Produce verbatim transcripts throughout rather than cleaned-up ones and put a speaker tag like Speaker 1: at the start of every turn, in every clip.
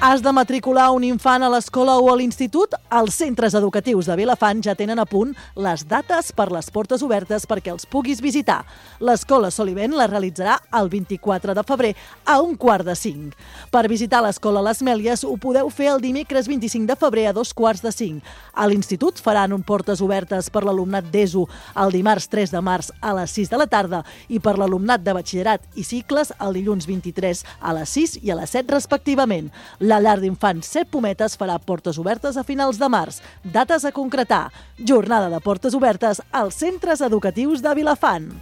Speaker 1: Has de matricular un infant a l'escola o a l'institut? Els centres educatius de Vilafant ja tenen a punt les dates per les portes obertes perquè els puguis visitar. L'escola Solivent la realitzarà el vint-i-quatre de febrer a un quart de cinc. Per visitar l'escola Les Mèlies ho podeu fer el dimecres vint-i-cinc de febrer a dos quarts de cinc. A l'institut faran un portes obertes per l'alumnat d'ESO el dimarts tres de març a les sis de la tarda i per l'alumnat de batxillerat i cicles el dilluns vint-i-tres a les sis i a les set respectivament. La llar d'infants Set Pometes farà portes obertes a finals de març. Dates a concretar. Jornada de portes obertes als centres educatius de Vilafant.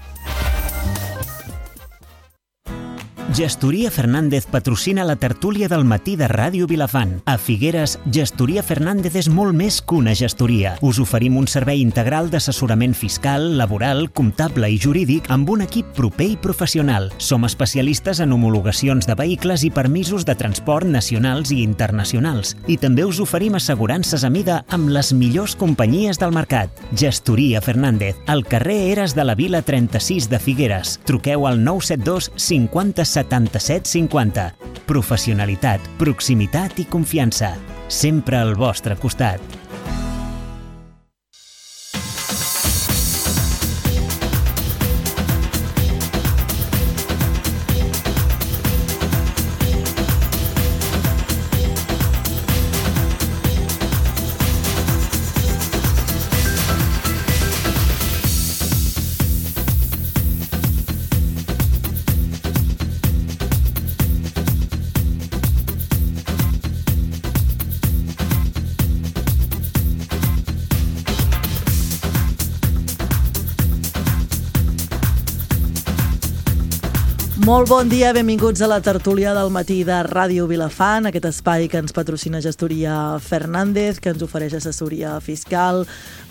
Speaker 2: Gestoria Fernández patrocina la tertúlia del matí de Ràdio Vilafant. A Figueres, Gestoria Fernández és molt més que una gestoria. Us oferim un servei integral d'assessorament fiscal, laboral, comptable i jurídic amb un equip proper i professional. Som especialistes en homologacions de vehicles i permisos de transport nacionals i internacionals. I també us oferim assegurances a mida amb les millors companyies del mercat. Gestoria Fernández, al carrer Eres de la Vila trenta-sis de Figueres. Truqueu al nou set dos cinquanta setanta-set cinquanta. Professionalitat, proximitat i confiança. Sempre al vostre costat.
Speaker 1: Molt bon dia, benvinguts a la tertúlia del matí de Ràdio Vilafant, aquest espai que ens patrocina Gestoria Fernández, que ens ofereix assessoria fiscal,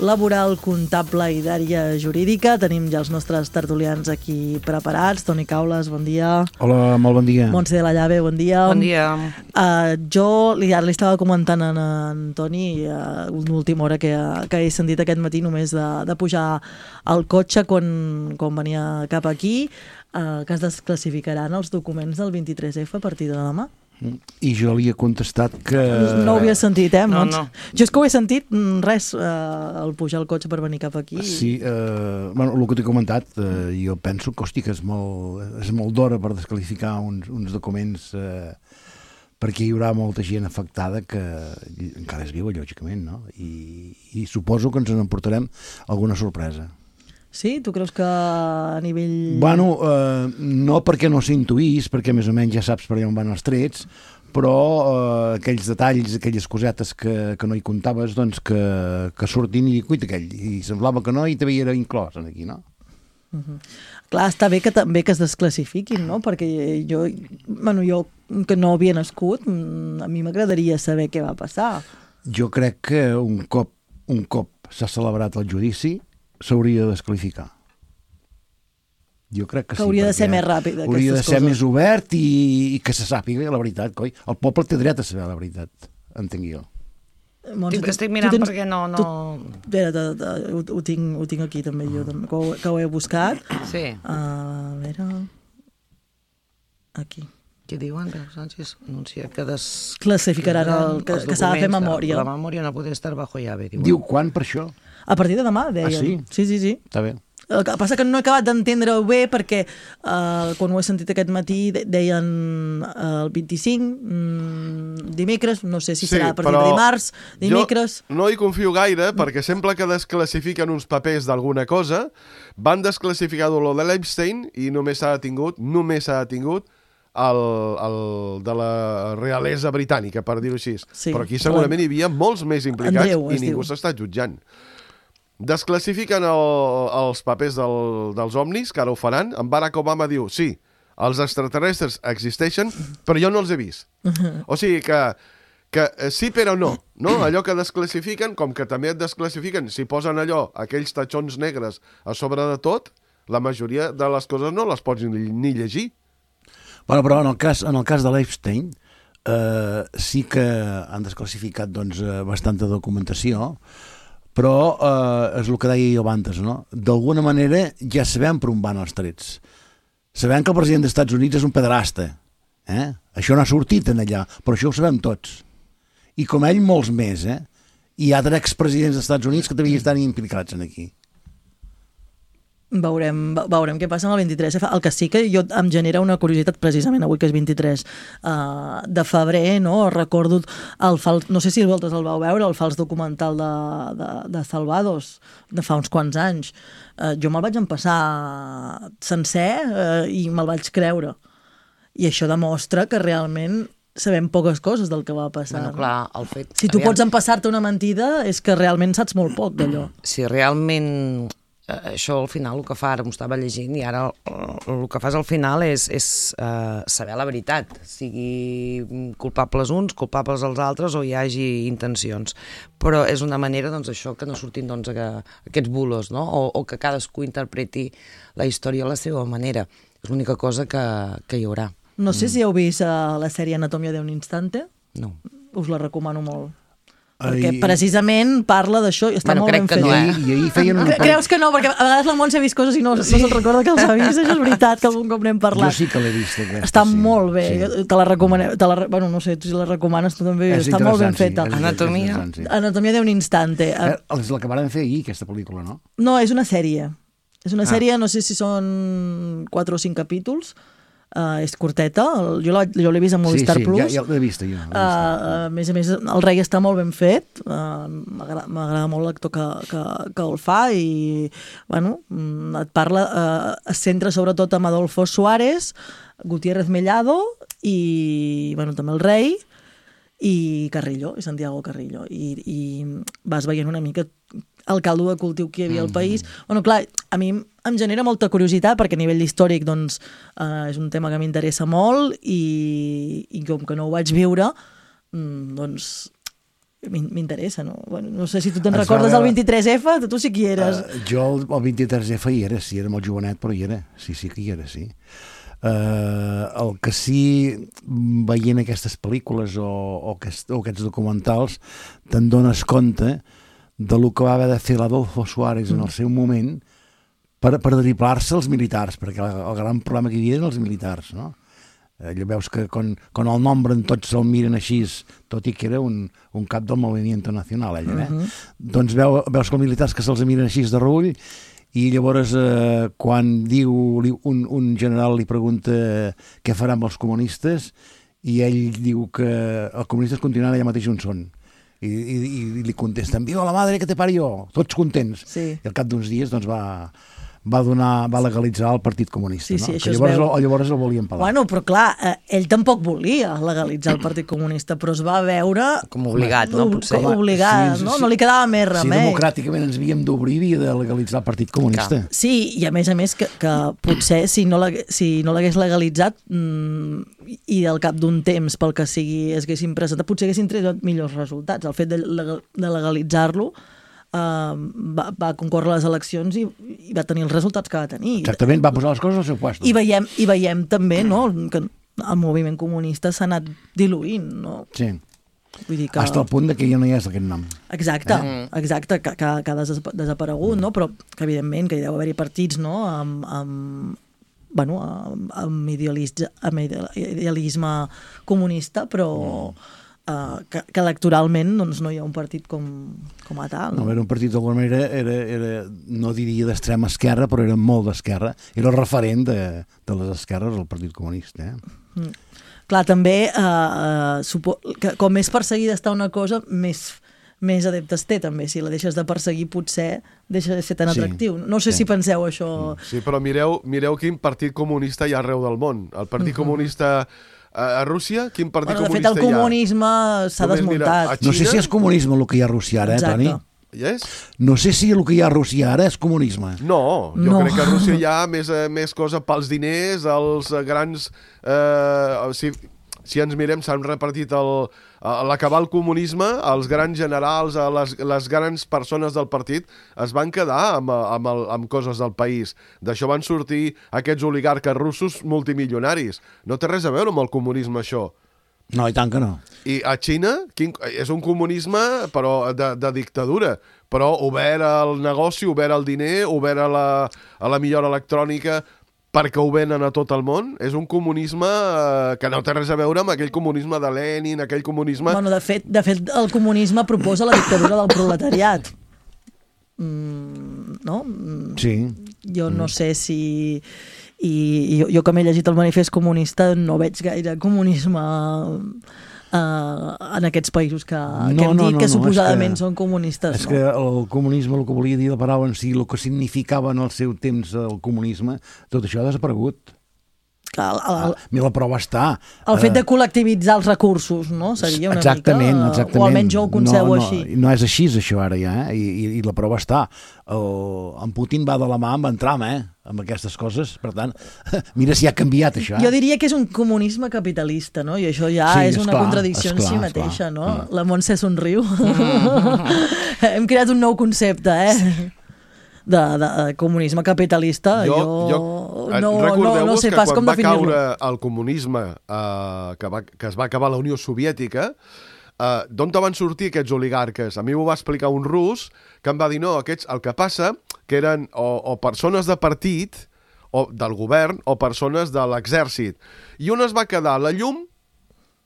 Speaker 1: laboral, comptable i d'àrea jurídica. Tenim ja els nostres tertulians aquí preparats. Toni Caules, bon dia.
Speaker 3: Hola, molt bon dia.
Speaker 1: Montse de la Llave, bon dia.
Speaker 4: Bon dia.
Speaker 1: Uh, jo li, li estava comentant a en Toni uh, una última hora que, que he sentit aquest matí només de, de pujar al cotxe quan, quan venia cap aquí, Uh, que es desclassificaran els documents del vint-i-tres efa a partir de demà.
Speaker 3: I jo li he contestat que...
Speaker 1: No ho havia sentit, eh?
Speaker 4: No, no.
Speaker 1: Jo és que ho he sentit, res, uh, al pujar al cotxe per venir cap aquí.
Speaker 3: Sí, uh, bueno, el que t'he comentat, uh, jo penso que, hosti, que és molt, és molt d'hora per desclassificar uns, uns documents uh, perquè hi haurà molta gent afectada que encara és viva, lògicament, no? I, i suposo que ens n'emportarem alguna sorpresa.
Speaker 1: Sí? Tu creus que a nivell...
Speaker 3: Bueno, eh, no perquè no s'intuís, perquè més o menys ja saps per on van els trets, però eh, aquells detalls, aquelles cosetes que, que no hi comptaves, doncs que, que surtin i cuita aquell. I semblava que no i també era inclòs aquí, no?
Speaker 1: Uh-huh. Clar, està bé que també que es desclassifiquin, no? Perquè jo, bueno, jo que no havia nascut, a mi m'agradaria saber què va passar.
Speaker 3: Jo crec que un cop, un cop s'ha celebrat el judici, s'hauria de desclassificar. Jo crec que,
Speaker 1: que
Speaker 3: sí.
Speaker 1: hauria de ser més ràpid, aquestes
Speaker 3: hauria de ser
Speaker 1: coses.
Speaker 3: Més obert i, i que se sàpiga la veritat, coi. El poble té dret a saber la veritat, entenc jo.
Speaker 1: Montse,
Speaker 4: Estic, estic mirant tens, perquè no... no...
Speaker 1: Tu, espera, te, te, ho, ho, tinc, ho tinc aquí també jo, també, que, ho, que ho he buscat.
Speaker 4: Sí.
Speaker 1: Uh, a veure... Aquí.
Speaker 4: Què diuen? Sánchez anuncia que des...
Speaker 1: classificaran el, que, que s'ha de fer memòria.
Speaker 4: La memòria no pot estar bajo llave. Diuen.
Speaker 3: Diu quan per això?
Speaker 1: A partir de demà, deien.
Speaker 3: Ah, sí?
Speaker 1: Sí, sí, sí.
Speaker 3: Està bé.
Speaker 1: El que passa que no he acabat d'entendre-ho bé perquè uh, quan ho he sentit aquest matí deien uh, el vint-i-cinc, mm, dimecres, no sé si
Speaker 5: sí,
Speaker 1: serà a partir de dimarts, dimecres...
Speaker 5: Jo no hi confio gaire perquè sempre que desclassifiquen uns papers d'alguna cosa van desclassificar lo de l'Epstein i només s'ha detingut, només s'ha detingut el, el de la realesa britànica, per dir-ho així.
Speaker 1: Sí,
Speaker 5: però aquí segurament hi havia molts més implicats
Speaker 1: Andreu,
Speaker 5: i ningú s'està jutjant. Desclassifiquen el, els papers del, dels ovnis, que ara ho faran. En Barack Obama diu, sí, els extraterrestres existeixen, però jo no els he vist. O sigui que, que sí però no, no? Allò que desclassifiquen, com que també et desclassifiquen, si posen allò, aquells tatxons negres a sobre de tot, la majoria de les coses no les pots ni, ni llegir.
Speaker 3: Bueno, però en el cas, en el cas de l'Epstein eh, sí que han desclassificat doncs, bastanta documentació, però eh, és el que deia jo abans, no? D'alguna manera ja sabem per on van els trets. Sabem que el president dels Estats Units és un pederasta, eh? Això no ha sortit en allà, però això ho sabem tots. I com ell, molts més, eh? Hi ha expresidents dels Estats Units que també hi estan implicats en aquí.
Speaker 1: Veurem, veurem què passa amb el vint-i-tres F. El que sí que jo em genera una curiositat precisament avui que és vint-i-tres uh, de febrer, no? Recordo el fals, no sé si vosaltres el vau veure, el fals documental de, de, de Salvados de fa uns quants anys. Uh, jo me'l vaig empassar sencer uh, i me'l vaig creure. I això demostra que realment sabem poques coses del que va passar.
Speaker 4: Bueno, clar, el fet...
Speaker 1: Si tu
Speaker 4: aviam,
Speaker 1: pots empassar-te una mentida és que realment saps molt poc d'allò.
Speaker 4: Si realment això al final el que fa, ara m'ho estava llegint i ara el, el que fas al final és, és uh, saber la veritat, sigui culpables uns, culpables els altres o hi hagi intencions, però és una manera doncs això que no surtin doncs, que, aquests bulos, no? o, o que cadascú interpreti la història a la seva manera, és l'única cosa que, que hi haurà.
Speaker 1: No sé mm. si heu vist uh, la sèrie Anatomia d'un instante.
Speaker 4: No.
Speaker 1: Us la recomano molt.
Speaker 3: Ai.
Speaker 1: Perquè precisament parla d'això i està
Speaker 4: Bueno,
Speaker 1: molt
Speaker 4: crec
Speaker 1: ben
Speaker 4: que
Speaker 1: fet.
Speaker 4: no, eh?
Speaker 3: I, i ahir feien una...
Speaker 1: Creus que no? Perquè a vegades la Montse ha vist coses i no, sí. no se'n recorda que els ha vist. Això és veritat, que algun cop n'hem parlat.
Speaker 3: Jo sí que l'he vist, aquesta.
Speaker 1: Està
Speaker 3: sí.
Speaker 1: molt bé.
Speaker 3: Sí.
Speaker 1: Te la recomanem. Te la, bueno, no sé, tu si la recomanes, tu també.
Speaker 3: És
Speaker 1: està molt ben
Speaker 3: interessant,
Speaker 1: feta.
Speaker 3: sí, és-
Speaker 4: Anatomia.
Speaker 3: és interessant, sí.
Speaker 1: Anatomia d'un instante.
Speaker 3: Eh, És la que van fer ahir, aquesta pel·lícula, no?
Speaker 1: No, és una sèrie. És una
Speaker 3: Ah.
Speaker 1: sèrie, no sé si són quatre o cinc capítols. Uh, és curteta, el, jo l'he jo l'he vist a Movistar
Speaker 3: sí, sí,
Speaker 1: Plus.
Speaker 3: ja, ja l'he vist, jo. l'he vist.
Speaker 1: Uh, a més a més, el rei està molt ben fet, uh, m'agrada m'agrada molt l'actor que, que, que el fa i, bueno, mm, et parla, uh, es centra sobretot en Adolfo Suárez, Gutiérrez Mellado i, bueno, també el rei i Carrillo, i Santiago Carrillo, i, i vas veient una mica el caldo de cultiu que hi havia al país. Bueno, clar, a mi em genera molta curiositat perquè a nivell històric doncs, eh, és un tema que m'interessa molt i, i com que no ho vaig viure, mm, doncs m'in- m'interessa, no? Bueno, no sé si tu te'n
Speaker 3: Es
Speaker 1: recordes
Speaker 3: va
Speaker 1: del
Speaker 3: veure-
Speaker 1: vint-i-tres F, tu sí que hi eres.
Speaker 3: Uh, jo el, el vint-i-tres F hi era, sí, era molt jovenet, però hi era. Sí, sí que hi era, sí. Uh, el que sí, veient aquestes pel·lícules o, o, aquest, o aquests documentals, te'n dones compte de lo que va haver de fer l'Adolfo Suárez en el seu moment per, per driblar-se els militars, perquè el, el gran problema que hi havia eren els militars, no? Allò veus que quan, quan el nombren tots el miren així, tot i que era un, un cap del moviment nacional, ell, eh? Uh -huh. Doncs veu, veus que els militars que se'ls miren així de reüll i llavors eh, quan diu li, un, un general li pregunta què farà amb els comunistes i ell diu que els comunistes continuaran allà mateix on són. I, i, i li contesten, viva la madre que te parió, tots contents.
Speaker 1: Sí.
Speaker 3: I al cap d'uns dies doncs, va, va, donar, va legalitzar el Partit Comunista.
Speaker 1: Sí, sí,
Speaker 3: no?
Speaker 1: això
Speaker 3: Que
Speaker 1: es
Speaker 3: llavors,
Speaker 1: veu.
Speaker 3: el, llavors el volien pelar.
Speaker 1: Bueno, però clar, eh, ell tampoc volia legalitzar el Partit Comunista, però es va veure...
Speaker 4: Com obligat, no? Potser.
Speaker 1: Com obligat,
Speaker 3: Sí,
Speaker 1: no?
Speaker 3: sí.
Speaker 1: No li quedava més
Speaker 3: Si
Speaker 1: remei.
Speaker 3: democràticament ens havíem d'obrir, havia de legalitzar el Partit Comunista.
Speaker 1: Sí, i a més a més que, que potser si no l'hagués si no l'hagués legalitzat mmm, i al cap d'un temps pel que sigui es haguessin presentat, potser haguessin tret millors resultats. El fet de, legal, de legalitzar-lo uh, va, va concórrer a les eleccions i, i va tenir els resultats que va tenir.
Speaker 3: Exactament, va posar les coses al seu lloc.
Speaker 1: I veiem, i veiem també no, que el moviment comunista s'ha anat diluint. No?
Speaker 3: Sí.
Speaker 1: Vull dir que...
Speaker 3: Hasta el punt de que ja no hi és aquest nom.
Speaker 1: Exacte, eh? exacte, que, que, que ha des desaparegut, no? Però que evidentment que hi deu haver-hi partits no? amb, amb, bueno, amb, amb, idealisme, amb idealisme comunista, però uh, que, que electoralment doncs, no hi ha un partit com, com a tal.
Speaker 3: No, era un partit d'alguna manera, era, era, no diria d'extrema esquerra, però era molt d'esquerra. Era el referent de, de les esquerres, el Partit Comunista. Eh?
Speaker 1: Mm. Clar, també, uh, uh, supo que com més perseguida està una cosa, més més adeptes té també, si la deixes de perseguir potser deixa de ser tan
Speaker 3: Sí,
Speaker 1: atractiu. No sé
Speaker 3: sí.
Speaker 1: si penseu això.
Speaker 5: Sí, però mireu, mireu quin partit comunista hi ha arreu del món. El partit comunista a, a Rússia, quin partit
Speaker 1: Bueno, de fet,
Speaker 5: comunista
Speaker 1: el
Speaker 5: hi ha?
Speaker 1: comunisme s'ha
Speaker 5: Només mira,
Speaker 1: desmuntat.
Speaker 5: a
Speaker 3: No sé si és comunisme el que hi ha a Rússia ara, eh,
Speaker 1: Exacte.
Speaker 3: Toni?
Speaker 5: Hi és?
Speaker 3: No sé si el que hi ha a Rússia ara és comunisme.
Speaker 5: No, jo
Speaker 1: No.
Speaker 5: crec que a Rússia hi ha més, eh, més cosa pels diners, els eh, grans... Eh, si, si ens mirem, s'han repartit el... A l'acabar el comunisme, els grans generals, a les, les grans persones del partit es van quedar amb, amb, el, amb coses del país. D'això van sortir aquests oligarques russos multimilionaris. No té res a veure amb el comunisme, això.
Speaker 3: No, i tant que no.
Speaker 5: I a Xina quin, és un comunisme però de, de dictadura, però obert al negoci, obert al diner, obert a la, a la millora electrònica. perquè ho venen a tot el món. És un comunisme eh, que no té res a veure amb aquell comunisme de Lenin, aquell comunisme...
Speaker 1: Bueno, de fet, de fet el comunisme proposa la dictadura del proletariat. Mm, no?
Speaker 3: Sí.
Speaker 1: Jo no sé si... I jo, jo que m'he llegit el manifest comunista no veig gaire comunisme uh, en aquests països que, no, que hem
Speaker 3: no,
Speaker 1: dit
Speaker 3: no,
Speaker 1: que
Speaker 3: no,
Speaker 1: suposadament
Speaker 3: que,
Speaker 1: són comunistes.
Speaker 3: És
Speaker 1: no?
Speaker 3: que el comunisme, el que volia dir la paraula en si, el que significava en el seu temps el comunisme, tot això ha desaparegut.
Speaker 1: El, el, el,
Speaker 3: Ah, la prova està.
Speaker 1: el fet de col·lectivitzar els recursos, no? Seria una
Speaker 3: exactament,
Speaker 1: mica...
Speaker 3: Exactament,
Speaker 1: o almenys jo ho concebo
Speaker 3: no, no,
Speaker 1: així.
Speaker 3: No és així, això, ara, ja, eh? I, i, i la prova està. El, en Putin va de la mà amb en Trump, eh? Amb aquestes coses. Per tant, mira si ha canviat, això. Eh?
Speaker 1: Jo diria que és un comunisme capitalista, no? I això ja
Speaker 3: Sí,
Speaker 1: és una
Speaker 3: esclar,
Speaker 1: contradicció
Speaker 3: esclar,
Speaker 1: en si
Speaker 3: esclar.
Speaker 1: mateixa, no?
Speaker 3: Mm.
Speaker 1: La Montse somriu. Hem creat un nou concepte, eh? De, de, de comunisme capitalista. Jo, jo no, no, no sé pas com definir-lo.
Speaker 5: Recordeu-vos que quan va caure el comunisme, eh, que, va, que es va acabar la Unió Soviètica, eh, d'on van sortir aquests oligarques? A mi m'ho va explicar un rus que em va dir, no, aquests, el que passa que eren o, o persones de partit, o del govern, o persones de l'exèrcit. I un es va quedar a la llum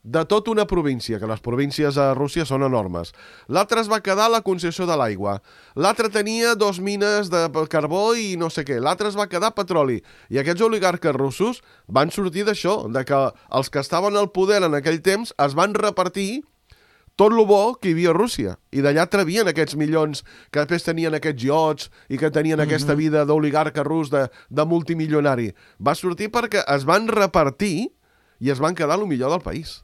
Speaker 5: de tota una província, que les províncies a Rússia són enormes. L'altre es va quedar a la concessió de l'aigua. L'altre tenia dos mines de carbó i no sé què. L'altre es va quedar petroli. I aquests oligarques russos van sortir d'això, de que els que estaven al poder en aquell temps es van repartir tot lo bo que hi havia a Rússia. I d'allà trebien aquests milions que després tenien aquests iots i que tenien mm-hmm. aquesta vida d'oligarca rus, de, de multimilionari. Va sortir perquè es van repartir i es van quedar el millor del país.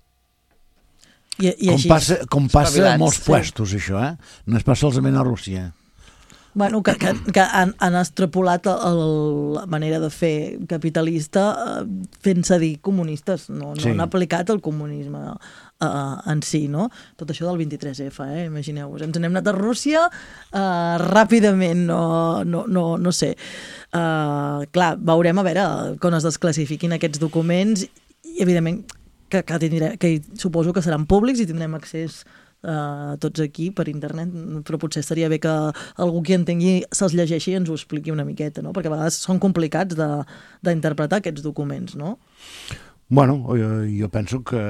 Speaker 1: I, i
Speaker 3: com
Speaker 1: així,
Speaker 3: passa, com passa a molts
Speaker 1: sí.
Speaker 3: puestos, això, eh? No es passa solament a Rússia.
Speaker 1: Bueno, que, que, que han, han extrapolat el, la manera de fer capitalista eh, fent-se dir comunistes, no, no
Speaker 3: Sí.
Speaker 1: han aplicat el comunisme eh, en si, no? Tot això del vint-i-tres efa, eh? Imagineu-vos. Ens n'hem anat a Rússia eh, ràpidament, no, no, no, no sé. Eh, clar, veurem a veure quan es desclassifiquin aquests documents i, evidentment, que, que, tindrem, que suposo que seran públics i tindrem accés Uh, tots aquí per internet, però potser estaria bé que algú que entengui se'ls llegeixi i ens ho expliqui una miqueta, no? Perquè a vegades són complicats d'interpretar aquests documents, no?
Speaker 3: Bueno, jo, jo penso que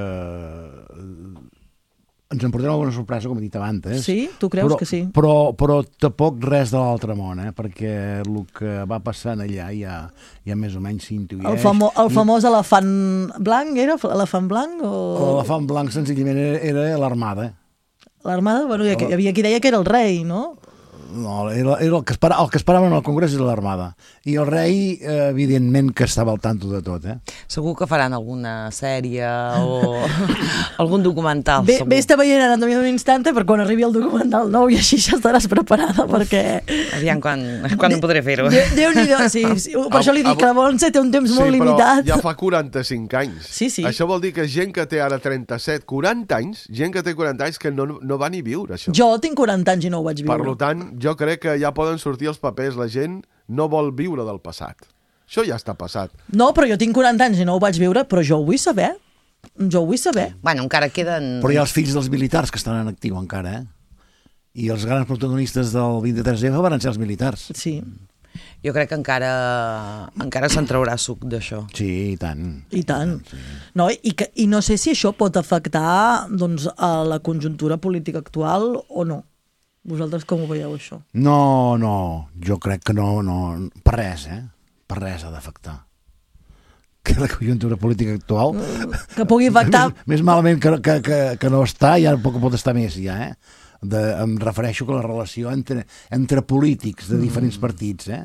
Speaker 3: ens en portem alguna sorpresa, com he dit abans. Eh?
Speaker 1: Sí? Tu creus
Speaker 3: però,
Speaker 1: que sí?
Speaker 3: Però, però tampoc res de l'altre món, eh? Perquè el que va passant allà ja, ja més o menys s'intuïeix.
Speaker 1: El, famo el famós elefant blanc, era? Elefant blanc? O...
Speaker 3: L'elefant blanc senzillament era, era l'armada.
Speaker 1: L'armada? Bueno, hi havia qui deia que era el rei, no?
Speaker 3: No, era, era el, que espera, el que esperaven al Congrés era l'armada. I el rei, eh, evidentment, que estava al tanto de tot, eh?
Speaker 4: Segur que faran alguna sèrie o algun documental.
Speaker 1: Bé,
Speaker 4: segur.
Speaker 1: bé està veient Anatomia d'un instante per quan arribi el documental nou i així ja estaràs preparada. Uf, perquè...
Speaker 4: Aviam quan, quan em podré fer-ho.
Speaker 1: Déu-n'hi-do, sí, sí. Per això li dic que la Montse té un temps
Speaker 5: sí,
Speaker 1: molt limitat.
Speaker 5: Sí, però ja fa quaranta-cinc anys.
Speaker 1: Sí, sí.
Speaker 5: Això vol dir que gent que té ara trenta-set, quaranta anys, gent que té quaranta anys que no, no va ni viure, això.
Speaker 1: Jo tinc quaranta anys i no ho vaig viure.
Speaker 5: Per tant, jo crec que ja poden sortir els papers. La gent no vol viure del passat. Això ja està passat.
Speaker 1: No, però jo tinc quaranta anys i no ho vaig viure, però jo ho vull saber. Jo ho vull saber.
Speaker 4: Bueno, encara queden...
Speaker 3: Però hi ha els fills dels militars que estan en actiu encara, eh? I els grans protagonistes del vint-i-tres efa van ser els militars.
Speaker 1: Sí.
Speaker 4: Jo crec que encara encara se'n traurà suc d'això.
Speaker 3: Sí, i tant.
Speaker 1: I tant. Sí. No, i, que, I no sé si això pot afectar doncs, a la conjuntura política actual o no. Vosaltres com ho veieu, això?
Speaker 3: No, no, jo crec que no, no, per res, eh? Per res ha d'afectar. Que la conjuntura política actual...
Speaker 1: Que pugui afectar...
Speaker 3: Més, més malament que, que, que, que no està, ja poc pot estar més, ja, eh? De, em refereixo que la relació entre, entre polítics de diferents mm. partits, eh?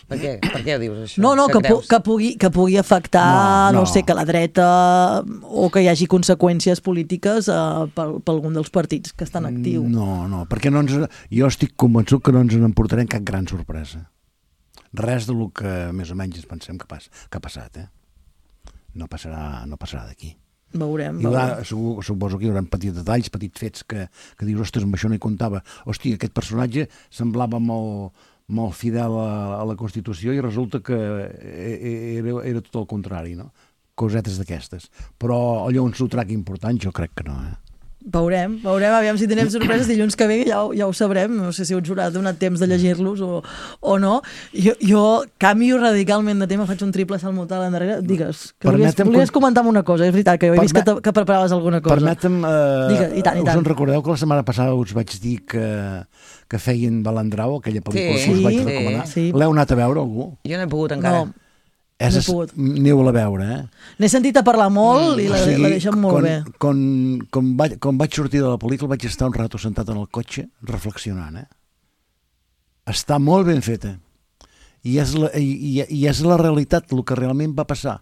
Speaker 4: Per què? Per què dius això?
Speaker 1: No, no, que, pu
Speaker 4: creus?
Speaker 1: que, pugui, que pugui afectar, no, no. no sé, que la dreta o que hi hagi conseqüències polítiques uh, per, per algun dels partits que estan actius.
Speaker 3: No, no, perquè no ens, jo estic convençut que no ens n'emportarem cap gran sorpresa. Res del que més o menys ens pensem que, pas, que ha passat, eh? No passarà, no passarà d'aquí.
Speaker 1: Veurem,
Speaker 3: hi haurà,
Speaker 1: veurem.
Speaker 3: segur, suposo que hi haurà petits detalls, petits fets que, que dius, ostres, amb això no hi comptava. Hòstia, aquest personatge semblava molt, molt fidel a, a la Constitució i resulta que era, era tot el contrari, no? Cosetes d'aquestes. Però allò un sotrac important jo crec que no, eh?
Speaker 1: Veurem, veurem, aviam si tenim sorpreses dilluns que ve, ja, ho- ja ho sabrem, no sé si us haurà donat temps de llegir-los o, o no. Jo, jo canvio radicalment de tema, faig un triple salt mortal endarrere. Digues, que volies,
Speaker 3: Permetem
Speaker 1: volies
Speaker 3: con-
Speaker 1: comentar una cosa, és veritat, que jo he vist que,
Speaker 3: Permet-
Speaker 1: te- que preparaves alguna cosa.
Speaker 3: Permetem, eh,
Speaker 1: Digue, i tant, i
Speaker 3: us
Speaker 1: tant.
Speaker 3: en recordeu que la setmana passada us vaig dir que, que feien Balandrau, aquella pel·lícula
Speaker 4: Sí,
Speaker 3: que us vaig
Speaker 1: sí,
Speaker 3: recomanar?
Speaker 1: sí.
Speaker 3: L'heu anat a veure, algú?
Speaker 4: Jo no he pogut encara.
Speaker 1: No,
Speaker 3: És,
Speaker 1: No he
Speaker 3: es-
Speaker 1: pogut.
Speaker 3: Aneu-la a veure, eh?
Speaker 1: n'he sentit a parlar molt i la,
Speaker 3: O sigui,
Speaker 1: la deixen molt
Speaker 3: quan,
Speaker 1: bé.
Speaker 3: Quan, quan, vaig, quan vaig sortir de la pel·lícula vaig estar un rato sentat en el cotxe reflexionant, eh? Està molt ben feta. I és la, i, i, i és la realitat, el que realment va passar.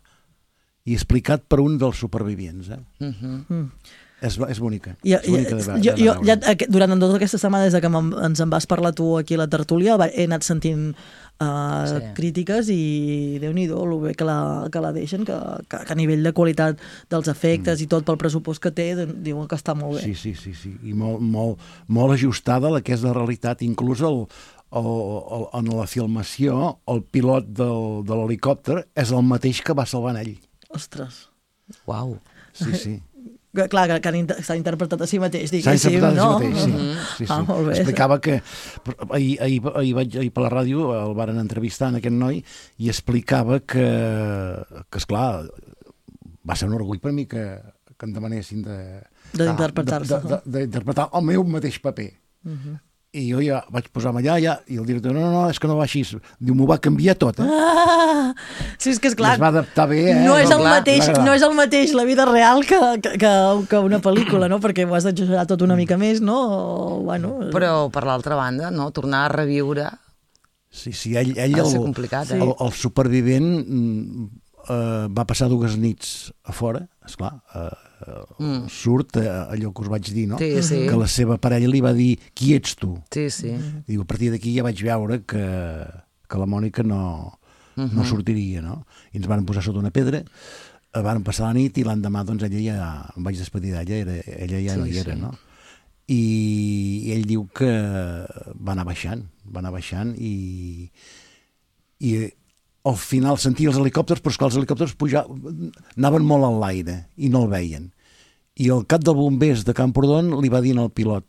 Speaker 3: I explicat per un dels supervivients, eh?
Speaker 4: Uh -huh.
Speaker 1: Mm.
Speaker 3: És, és bonica.
Speaker 1: I,
Speaker 3: és bonica de, ve-
Speaker 1: jo,
Speaker 3: de
Speaker 1: jo,
Speaker 3: veure.
Speaker 1: ja, aqu- durant tota aquesta setmana, des de que me'n- ens en vas parlar tu aquí a la tertúlia, va- he anat sentint uh,
Speaker 4: Sí.
Speaker 1: crítiques i Déu-n'hi-do, el bé que la, que la deixen, que, que, que a nivell de qualitat dels efectes mm. i tot pel pressupost que té, doncs, diuen que està molt bé.
Speaker 3: Sí, sí, sí, sí. I molt, molt, molt ajustada a la que és la realitat. Inclús el, el, el, en la filmació, el pilot del, de l'helicòpter és el mateix que va salvar ell.
Speaker 1: Ostres.
Speaker 4: Uau.
Speaker 3: Sí, sí.
Speaker 1: Que, clar, que, que han inter- s'ha interpretat a si mateix,
Speaker 3: S'ha
Speaker 1: diguéssim,
Speaker 3: interpretat
Speaker 1: no?
Speaker 3: a si mateix, sí. sí, sí.
Speaker 1: Ah, molt bé.
Speaker 3: Explicava que... Ahir, ahir, ahir, vaig, ahir per la ràdio el varen entrevistar en aquest noi i explicava que, que esclar, va ser un orgull per mi que, que em demanessin de...
Speaker 1: D'interpretar-se.
Speaker 3: de- de- D'interpretar el meu mateix paper.
Speaker 1: Uh-huh.
Speaker 3: I jo ja vaig posar-me allà ja, i el director, no, no, no, és que no va així. Diu, m'ho va canviar tot, eh?
Speaker 1: Ah, sí, és que és clar,
Speaker 3: I es va adaptar bé, eh?
Speaker 1: no, és el
Speaker 4: clar,
Speaker 1: mateix,
Speaker 3: va agradar.
Speaker 1: no és el mateix la vida real que, que, que, que una pel·lícula, no? Perquè ho has d'exagerar tot una mica més, no? O, bueno,
Speaker 4: Però, per l'altra banda, no, tornar a reviure
Speaker 3: Sí, sí, ell, ell
Speaker 4: ha de ser
Speaker 3: el,
Speaker 4: complicat,
Speaker 3: el,
Speaker 4: eh?
Speaker 3: el supervivent mm, eh, va passar dues nits a fora, esclar, eh, mm. surt eh, allò que us vaig dir, no?
Speaker 4: Sí, sí.
Speaker 3: Que la seva parella li va dir, qui ets tu?
Speaker 4: Sí, sí.
Speaker 3: I diu, a partir d'aquí ja vaig veure que, que la Mònica no, uh -huh. no sortiria, no? I ens van posar sota una pedra, eh, van passar la nit i l'endemà, doncs, ella ja, em vaig despedir d'ella, era, ella ja
Speaker 4: Sí,
Speaker 3: no hi era,
Speaker 4: sí.
Speaker 3: no? I, I ell diu que va anar baixant, va anar baixant i, i al final sentia els helicòpters, però és que els helicòpters puja, anaven molt en l'aire i no el veien. I el cap dels bombers de Camprodon li va dir al pilot,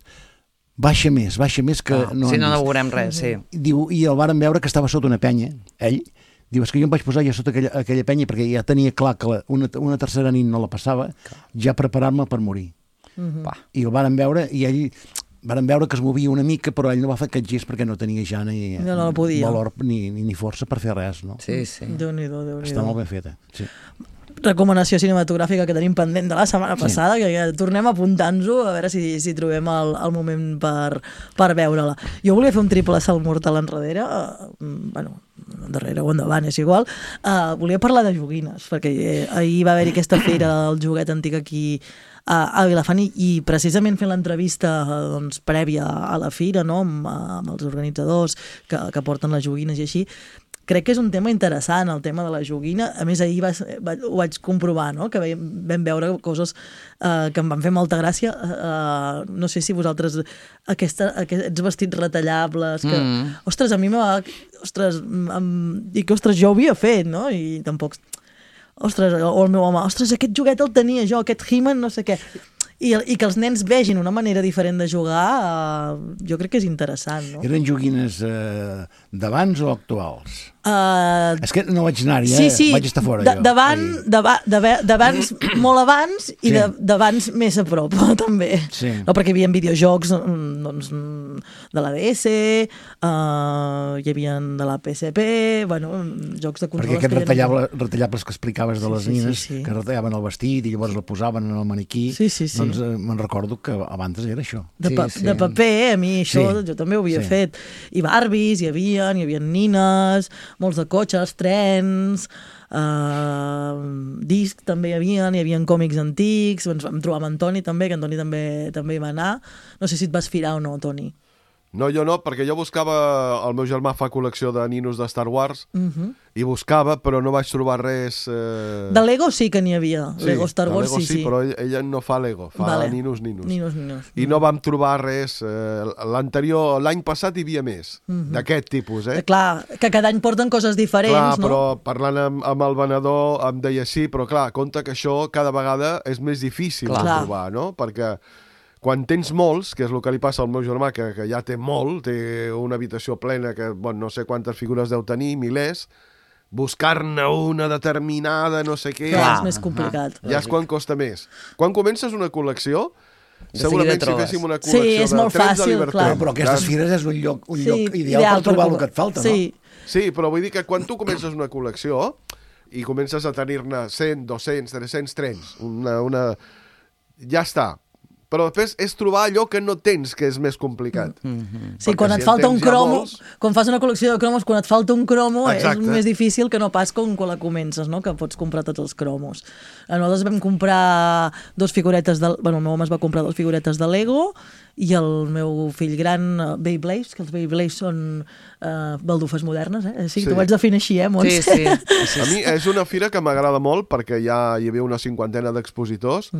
Speaker 3: baixa més, baixa més que
Speaker 4: Ah,
Speaker 3: no
Speaker 4: si
Speaker 3: han
Speaker 4: no, no
Speaker 3: vist."
Speaker 4: veurem res, sí.
Speaker 3: Diu, i el varen veure que estava sota una penya, ell. Diu, és que jo em vaig posar ja sota aquella, aquella penya perquè ja tenia clar que la, una, una tercera nit no la passava, ja preparar-me per morir.
Speaker 4: Va.
Speaker 3: I el varen veure i ell varen veure que es movia una mica, però ell no va fer aquest gest perquè no tenia ja ni
Speaker 1: No, no podia.
Speaker 3: valor ni, ni, ni força per fer res, no?
Speaker 4: Sí, sí.
Speaker 1: Déu-n'hi-do, Déu-n'hi-do.
Speaker 3: Està molt ben feta, sí.
Speaker 1: Recomanació cinematogràfica que tenim pendent de la setmana passada, que ja tornem apuntant-nos a veure si, si trobem el, el moment per, per veure-la. Jo volia fer un triple salt mortal enrere, uh, bueno, darrere o endavant, és igual. Uh, volia parlar de joguines, perquè eh, ahir va haver-hi aquesta fira del joguet antic aquí a, a Vilafant i, i precisament fent l'entrevista eh, doncs, prèvia a la fira, no? amb, amb els organitzadors que, que porten les joguines i així, crec que és un tema interessant, el tema de la joguina. A més, ahir va, va, ho vaig comprovar, no? Que vam, vam veure coses uh, que em van fer molta gràcia. Uh, no sé si vosaltres, aquesta, aquests vestits retallables, que, mm. ostres, a mi m'ha... Ostres, em, i que, ostres, jo ho havia fet, no? I tampoc... Ostres, o el meu home, ostres, aquest joguet el tenia jo, aquest He-Man, no sé què. I, I que els nens vegin una manera diferent de jugar, uh, jo crec que és interessant, no?
Speaker 3: Eren joguines eh, d'abans o actuals?
Speaker 1: Uh,
Speaker 3: És que no vaig anar-hi, eh?
Speaker 1: sí, sí,
Speaker 3: Vaig estar fora,
Speaker 1: de,
Speaker 3: jo.
Speaker 1: davant,
Speaker 3: ahir.
Speaker 1: dava- dava- d'abans, molt abans, i
Speaker 3: Sí.
Speaker 1: de, d'abans més a prop, també.
Speaker 3: Sí.
Speaker 1: No, perquè hi havia videojocs mm, doncs, mm, de la D S, uh, hi havia de la P S P, bueno, jocs de consoles...
Speaker 3: Perquè aquests
Speaker 1: que hi havia-
Speaker 3: retallable, retallables que explicaves de
Speaker 1: Sí,
Speaker 3: les
Speaker 1: sí, sí,
Speaker 3: nines,
Speaker 1: sí.
Speaker 3: que retallaven el vestit i llavors el posaven en el maniquí,
Speaker 1: Sí, sí, sí.
Speaker 3: doncs eh, me'n recordo que abans era això.
Speaker 1: De,
Speaker 4: Sí,
Speaker 1: pa
Speaker 4: sí.
Speaker 1: de paper, a mi això,
Speaker 3: Sí.
Speaker 1: jo també ho havia
Speaker 3: Sí.
Speaker 1: fet. I Barbies, hi havia, hi havia nines, molts de cotxes, trens, uh, discs també hi havia, hi havia còmics antics, ens vam trobar amb Antoni també, que Antoni també, també hi va anar. No sé si et vas firar o no, Toni.
Speaker 5: No, jo no, perquè jo buscava... El meu germà fa col·lecció de ninos de Star Wars
Speaker 1: Uh -huh.
Speaker 5: i buscava, però no vaig trobar res... Eh...
Speaker 1: De Lego sí que n'hi havia.
Speaker 5: Sí,
Speaker 1: Lego Star
Speaker 5: de
Speaker 1: Wars
Speaker 5: Lego
Speaker 1: sí, sí.
Speaker 5: però ella, ella no fa Lego, fa
Speaker 1: Vale.
Speaker 5: ninos, ninos.
Speaker 1: Ninos, ninos.
Speaker 5: I no vam trobar res. Eh, L'anterior, l'any passat hi havia més,
Speaker 1: Mhm.
Speaker 5: d'aquest tipus, eh?
Speaker 1: Eh, Clar, que cada any porten coses diferents,
Speaker 5: Clar,
Speaker 1: no?
Speaker 5: però parlant amb, amb el venedor em deia sí, però clar, compte que això cada vegada és més difícil
Speaker 4: Clar.
Speaker 5: de trobar, no? Perquè quan tens molts, que és el que li passa al meu germà, que, que ja té molt, té una habitació plena que, bueno, no sé quantes figures deu tenir, milers, buscar-ne una determinada, no sé què...
Speaker 1: Clar, és més complicat.
Speaker 5: Ja és quan costa més. Quan comences una col·lecció,
Speaker 4: De
Speaker 5: segurament
Speaker 4: seguida
Speaker 5: si
Speaker 4: trobes.
Speaker 5: féssim una
Speaker 1: Sí,
Speaker 5: col·lecció
Speaker 1: és
Speaker 5: de
Speaker 1: molt
Speaker 5: trens de
Speaker 1: fàcil,
Speaker 5: Liberté...
Speaker 1: clar.
Speaker 3: Però, però aquestes fires és un lloc, un lloc
Speaker 1: Sí,
Speaker 3: ideal, per trobar
Speaker 1: per
Speaker 3: el que et falta,
Speaker 1: sí.
Speaker 3: no?
Speaker 5: Sí, però vull dir que quan tu comences una col·lecció i comences a tenir-ne cent, dos-cents, tres-cents trens, una, una... ja està. Però després és trobar allò que no tens, que és més complicat.
Speaker 4: Mm-hmm.
Speaker 1: Sí,
Speaker 5: Perquè
Speaker 1: quan
Speaker 5: si
Speaker 1: et
Speaker 5: en
Speaker 1: falta un
Speaker 5: tens ja
Speaker 1: cromo,
Speaker 5: molts-
Speaker 1: quan fas una col·lecció de cromos, quan et falta un cromo
Speaker 5: Exacte.
Speaker 1: és més difícil que no pas com quan la comences, no? Que pots comprar tots els cromos. Nosaltres vam comprar dos figuretes, de, bueno, el meu home es va comprar dos figuretes de Lego i el meu fill gran, uh, Beyblades, que els Beyblades són uh, baldufes modernes, eh? Sí,
Speaker 5: Sí.
Speaker 1: tu vaig definir així, eh, Montse?
Speaker 4: Sí, sí. sí,
Speaker 5: A mi és una fira que m'agrada molt perquè ja hi havia una cinquantena d'expositors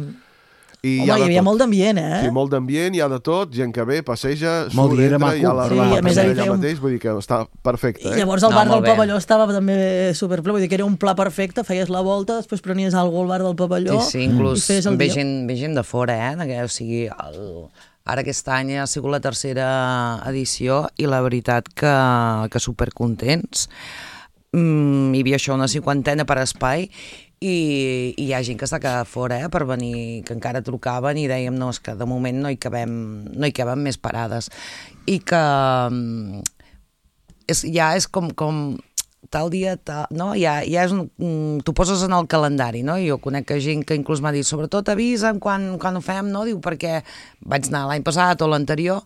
Speaker 5: i
Speaker 1: Home,
Speaker 5: hi ha,
Speaker 1: hi
Speaker 5: de
Speaker 1: havia
Speaker 5: tot.
Speaker 1: molt d'ambient, eh?
Speaker 5: Sí, molt d'ambient, hi ha de tot, gent que ve, passeja,
Speaker 3: Molt
Speaker 5: surt,
Speaker 3: dia, era
Speaker 5: entra,
Speaker 3: maco.
Speaker 5: hi ha la
Speaker 1: Sí,
Speaker 5: roba
Speaker 1: a més,
Speaker 5: que
Speaker 1: ahí
Speaker 5: allà
Speaker 1: feia un-
Speaker 5: mateix, vull dir que està perfecte.
Speaker 1: I
Speaker 5: Eh?
Speaker 1: llavors el
Speaker 4: No,
Speaker 1: bar
Speaker 4: molt
Speaker 1: del
Speaker 4: bé.
Speaker 1: pavelló estava també superple, vull dir que era un pla perfecte, feies la volta, després prenies alguna al bar del pavelló
Speaker 4: Sí, sí,
Speaker 1: i
Speaker 4: inclús
Speaker 1: feies el
Speaker 4: ve
Speaker 1: dia.
Speaker 4: gent, ve gent de fora, eh? Que, o sigui, el, ara aquest any ha sigut la tercera edició i la veritat que, que supercontents. Mm, hi havia això, una cinquantena per espai i, i hi ha gent que està quedat fora eh, per venir, que encara trucaven i dèiem no, és que de moment no hi cabem, no hi cabem més parades i que mm, és, ja és com, com tal dia, tal, no? Ja, ja és un, mm, t'ho poses en el calendari, no? Jo conec gent que inclús m'ha dit, sobretot avisa'm quan, quan ho fem, no? Diu, perquè vaig anar l'any passat o l'anterior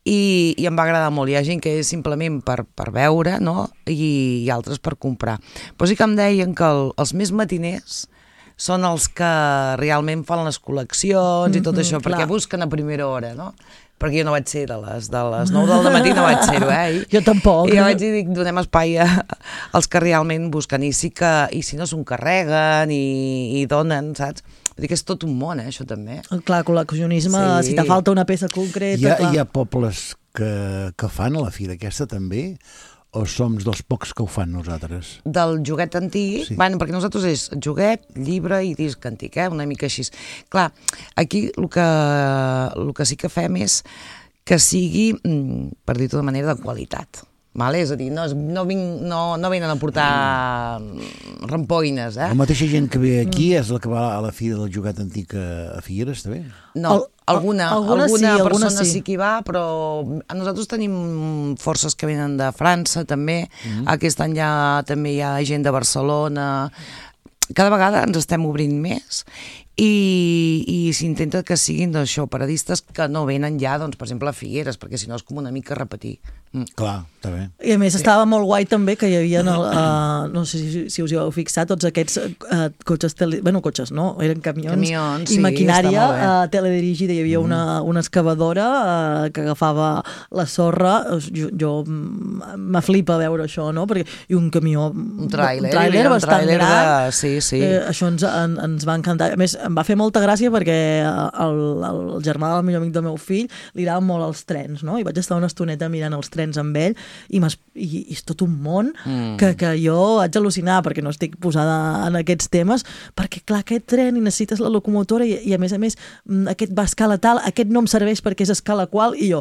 Speaker 4: i, i em va agradar molt. Hi ha gent que és simplement per, per veure, no? I, i altres per comprar. Però sí que em deien que el, els més matiners són els que realment fan les col·leccions i tot això,
Speaker 1: clar.
Speaker 4: perquè busquen a primera hora, no? Perquè jo no vaig ser de les, de les nou del matí, no vaig ser-ho, eh? I,
Speaker 1: Jo tampoc.
Speaker 4: I jo vaig dir, dic, donem espai a, als que realment busquen, i sí que, i si no s'ho encarreguen i, i donen, saps? Vull dir que és tot un món, eh, això també.
Speaker 1: Clar, col·leccionisme,
Speaker 4: Sí.
Speaker 1: si te falta una peça concreta...
Speaker 3: Hi ha,
Speaker 1: clar.
Speaker 3: hi ha pobles que, que fan a la fira aquesta també? O som dels pocs que ho fan nosaltres?
Speaker 4: Del joguet antic,
Speaker 3: Sí.
Speaker 4: bueno, perquè nosaltres és joguet, llibre i disc antic, eh? Una mica així. Clar, aquí el que, el que sí que fem és que sigui, mm, per dir-ho de manera, de qualitat. Vale? És a dir, no, es- no, vinc, no, no venen a portar mm, rampoines, eh?
Speaker 3: La mateixa gent que ve aquí és la que va a la fira del joguet antic a, a Figueres, també?
Speaker 4: No,
Speaker 1: Al-
Speaker 4: alguna,
Speaker 1: alguna
Speaker 4: alguna,
Speaker 1: sí, alguna
Speaker 4: persona
Speaker 1: sí.
Speaker 4: sí que hi va, però nosaltres tenim forces que venen de França, també. Mm. Aquest any ja, també hi ha gent de Barcelona. Cada vegada ens estem obrint més i, i s'intenta que siguin això, paradistes que no venen ja, doncs, per exemple, a Figueres, perquè si no és com una mica repetir. Mm.
Speaker 3: Clar, està bé.
Speaker 1: I a més estava molt guai també que hi havia, el, uh, no sé si, si us hi heu fixat, tots aquests uh, cotxes, tele... bueno, cotxes no, eren camions,
Speaker 4: Camions,
Speaker 1: i
Speaker 4: sí,
Speaker 1: maquinària
Speaker 4: està molt bé.
Speaker 1: uh, teledirigida. Hi havia una, una excavadora uh, que agafava la sorra. Jo, jo mm, m'aflipa veure això, no? Perquè, I un camió,
Speaker 4: Un tràiler,
Speaker 1: un tràiler
Speaker 4: un
Speaker 1: bastant
Speaker 4: tràiler de-
Speaker 1: gran.
Speaker 4: sí, sí.
Speaker 1: Eh, això ens, en, ens va encantar. A més, em va fer molta gràcia perquè el, el germà del millor amic del meu fill li agraden molt els trens, no? I vaig estar una estoneta mirant els trens amb ell i, i, i és tot un món mm. que, que jo haig al·lucinar perquè no estic posada en aquests temes, perquè clar, aquest tren i necessites la locomotora i, i a més a més mm, aquest va a escala tal, aquest no em serveix perquè és a escala qual, i jo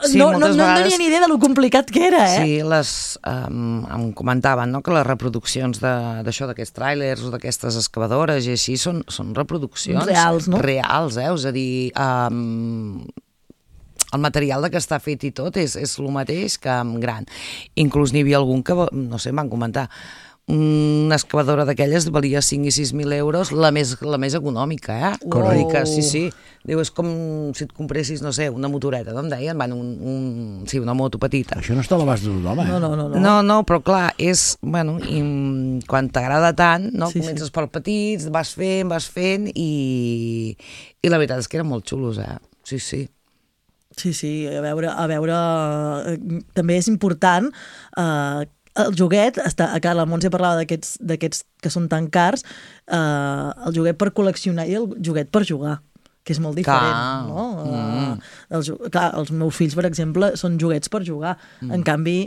Speaker 4: Sí,
Speaker 1: no, no,
Speaker 4: moltes
Speaker 1: no en
Speaker 4: vegades-
Speaker 1: tenia ni idea de lo complicat que era, eh?
Speaker 4: Sí, les, um, em comentaven no, que les reproduccions de- d'això, d'aquests tràilers o d'aquestes excavadores i així són, són reproduccions
Speaker 1: Reals, no?
Speaker 4: reals, eh? És a dir, um, el material de què està fet i tot és, és el mateix que en gran. Inclús n'hi havia algun que, no sé, em van comentar, una excavadora d'aquelles valia cinc i sis mil euros, la més, la més econòmica, eh?
Speaker 1: Correcte.
Speaker 4: Vull dir que sí, sí. Diu, és com si et compressis, no sé, una motoreta, no em deien? Van, un, un, sí, una moto petita.
Speaker 3: Això no està a l'abast de tothom, eh?
Speaker 1: No, no, no. no.
Speaker 4: No, no, però clar, és, bueno, i, mm, quan t'agrada tant, no?
Speaker 1: Sí,
Speaker 4: Comences
Speaker 1: sí.
Speaker 4: per petits, vas fent, vas fent, i, i la veritat és que eren molt xulos, eh? Sí, sí.
Speaker 1: Sí, sí, a veure, a veure eh, també és important eh, el joguet, està, a la Montse parlava d'aquests d'aquests que són tan cars, eh, el joguet per col·leccionar i el joguet per jugar, que és molt diferent,
Speaker 4: clar.
Speaker 1: no?
Speaker 4: Mm.
Speaker 1: Uh, els, clar, els meus fills, per exemple, són joguets per jugar. Mm. En canvi,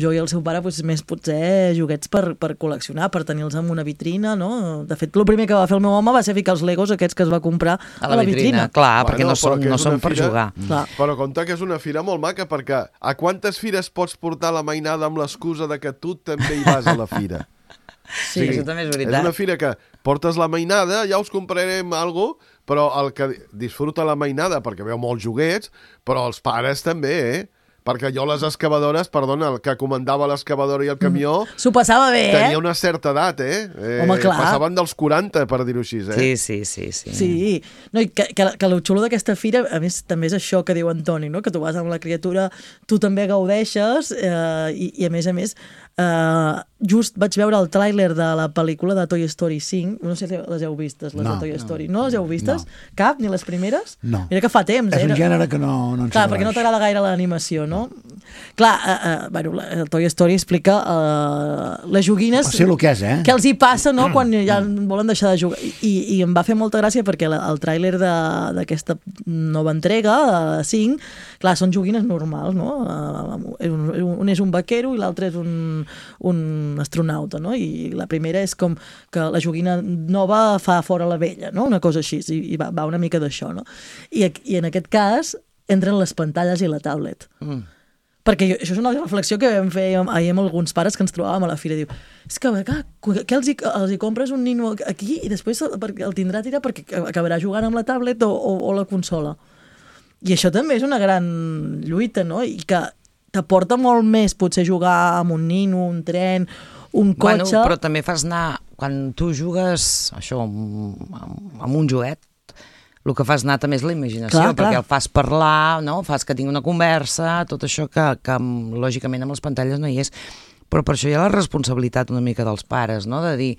Speaker 1: jo i el seu pare, doncs, més potser joguets per, per col·leccionar, per tenir-los en una vitrina, no? De fet, el primer que va fer el meu home va ser ficar els Legos aquests que es va comprar a la, a la vitrina. vitrina.
Speaker 4: Clar,
Speaker 5: bueno,
Speaker 4: perquè no són, no són per
Speaker 5: fira,
Speaker 4: jugar.
Speaker 1: Clar.
Speaker 5: Però compte que és una fira molt maca, perquè a quantes fires pots portar la mainada amb l'excusa de que tu també hi vas a la fira?
Speaker 4: Sí, sí, això també és veritat.
Speaker 5: És una fira que portes la mainada, ja us comprarem alguna cosa, però el que disfruta la mainada, perquè veu molts joguets, però els pares també, eh? Perquè jo les excavadores, perdona, el que comandava l'excavadora i el camió...
Speaker 1: Mm. S'ho passava bé, eh?
Speaker 5: Tenia una certa edat, eh? eh
Speaker 1: Home, clar.
Speaker 5: Passaven dels quaranta, per dir-ho així, eh?
Speaker 4: Sí, sí, sí. Sí,
Speaker 1: sí. No, i que, que, que el xulo d'aquesta fira, a més, també és això que diu Antoni, no? Que tu vas amb la criatura, tu també gaudeixes, eh, i, i a més a més, eh, just vaig veure el tràiler de la pel·lícula de Toy Story cinc, no sé si les heu vistes, les
Speaker 3: no,
Speaker 1: de Toy Story.
Speaker 3: no.
Speaker 1: No les heu vistes?
Speaker 3: No.
Speaker 1: Cap? Ni les primeres?
Speaker 3: No.
Speaker 1: Mira que fa temps.
Speaker 3: És un
Speaker 1: era...
Speaker 3: gènere que no, no ens
Speaker 1: Clar, perquè no t'agrada gaire l'animació, no? Clar, eh, eh, bueno, el Toy Story explica eh, les joguines...
Speaker 3: Sé el que és, eh?
Speaker 1: Què els hi passa, no?, quan ja volen deixar de jugar. I, i em va fer molta gràcia perquè la, el tràiler d'aquesta nova entrega, de cinc, clar, són joguines normals, no? Un, un és un vaquero i l'altre és un, un astronauta, no? I la primera és com que la joguina nova fa fora la vella, no? Una cosa així, i, i va, va una mica d'això, no? I, I en aquest cas entren les pantalles i la tablet. Mm. Perquè jo, això és una reflexió que vam fer ahir amb alguns pares que ens trobàvem a la fira. Diu, és que clar, què els hi, els hi compres un nino aquí i després el tindrà a tirar perquè acabarà jugant amb la tablet o, o, o la consola. I això també és una gran lluita, no? I que t'aporta molt més potser jugar amb un nino, un tren, un cotxe...
Speaker 4: Bueno, però també fas anar... Quan tu jugues això amb, amb un joguet, el que fas anar també és la imaginació, clar, perquè clar. El fas parlar, no? Fas que tingui una conversa, tot això que, que lògicament amb les pantalles no hi és. Però per això hi ha la responsabilitat una mica dels pares, no? De dir,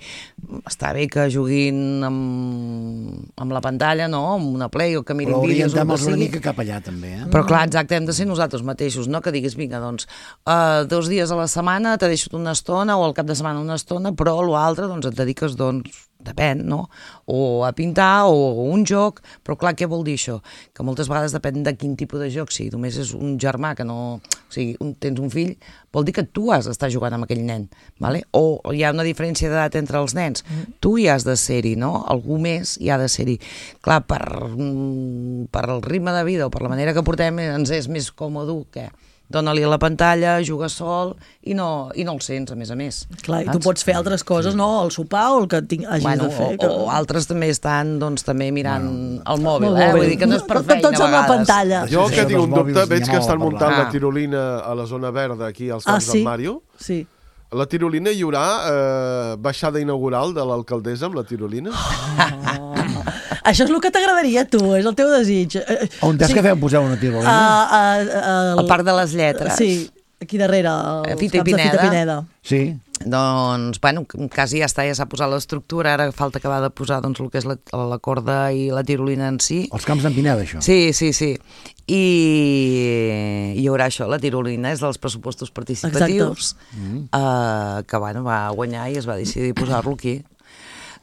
Speaker 4: està bé que juguin amb, amb la pantalla, no? Amb una Play o que mirin
Speaker 3: però
Speaker 4: vídeos.
Speaker 3: Però orientem-los una mica cap allà, també, eh?
Speaker 4: Però clar, exacte, hem de ser nosaltres mateixos, no? Que diguis, vinga, doncs, uh, dos dies a la setmana te deixo una estona o al cap de setmana una estona, però l'altre, doncs, et dediques, doncs, depèn, no? O a pintar o a un joc, però clar, què vol dir això? Que moltes vegades depèn de quin tipus de joc, si només és un germà que no... O sigui, un, tens un fill, vol dir que tu has d'estar jugant amb aquell nen, vale? O hi ha una diferència d'edat entre els nens, tu hi has de ser-hi, no? Algú més hi ha de ser-hi. Clar, per, per el ritme de vida o per la manera que portem ens és més còmode que... Dóna-li a la pantalla, juga sol i no, i no el sents, a més a més.
Speaker 1: Clar, i tu pots fer altres coses, no? El sopar o el que tinc, hagis
Speaker 4: bueno,
Speaker 1: de fer.
Speaker 4: O,
Speaker 1: que...
Speaker 4: o altres també estan doncs, també mirant
Speaker 3: bueno,
Speaker 4: el mòbil, eh?
Speaker 1: Bé.
Speaker 4: Vull dir que no és per feina
Speaker 1: Tots
Speaker 4: a
Speaker 1: amb la
Speaker 4: vegades.
Speaker 1: pantalla.
Speaker 5: Jo que tinc un dubte, veig que estan muntant
Speaker 4: Ah.
Speaker 5: la tirolina a la zona verda, aquí als
Speaker 1: Ah,
Speaker 5: camps
Speaker 1: sí?
Speaker 5: del Mario.
Speaker 1: Sí.
Speaker 5: La tirolina hi haurà eh, baixada inaugural de l'alcaldessa amb la tirolina?
Speaker 1: Això és el que t'agradaria a tu, és el teu desig.
Speaker 3: On t'has
Speaker 1: Sí.
Speaker 3: que feu posar una tirolina?
Speaker 1: Uh, uh, uh,
Speaker 4: El Parc de les Lletres.
Speaker 1: Sí, aquí darrere, als
Speaker 4: A Fita i
Speaker 1: camps de Fita
Speaker 4: Pineda.
Speaker 1: Pineda.
Speaker 3: Sí.
Speaker 4: Doncs, bueno, quasi ja està, ja s'ha posat l'estructura, ara falta acabar de posar doncs, el que és la, la corda i la tirolina en si.
Speaker 3: Els camps d'en Pineda, això.
Speaker 4: Sí, sí, sí. I hi haurà això, la tirolina és dels pressupostos participatius, mm. uh, que bueno, va guanyar i es va decidir posar-lo aquí.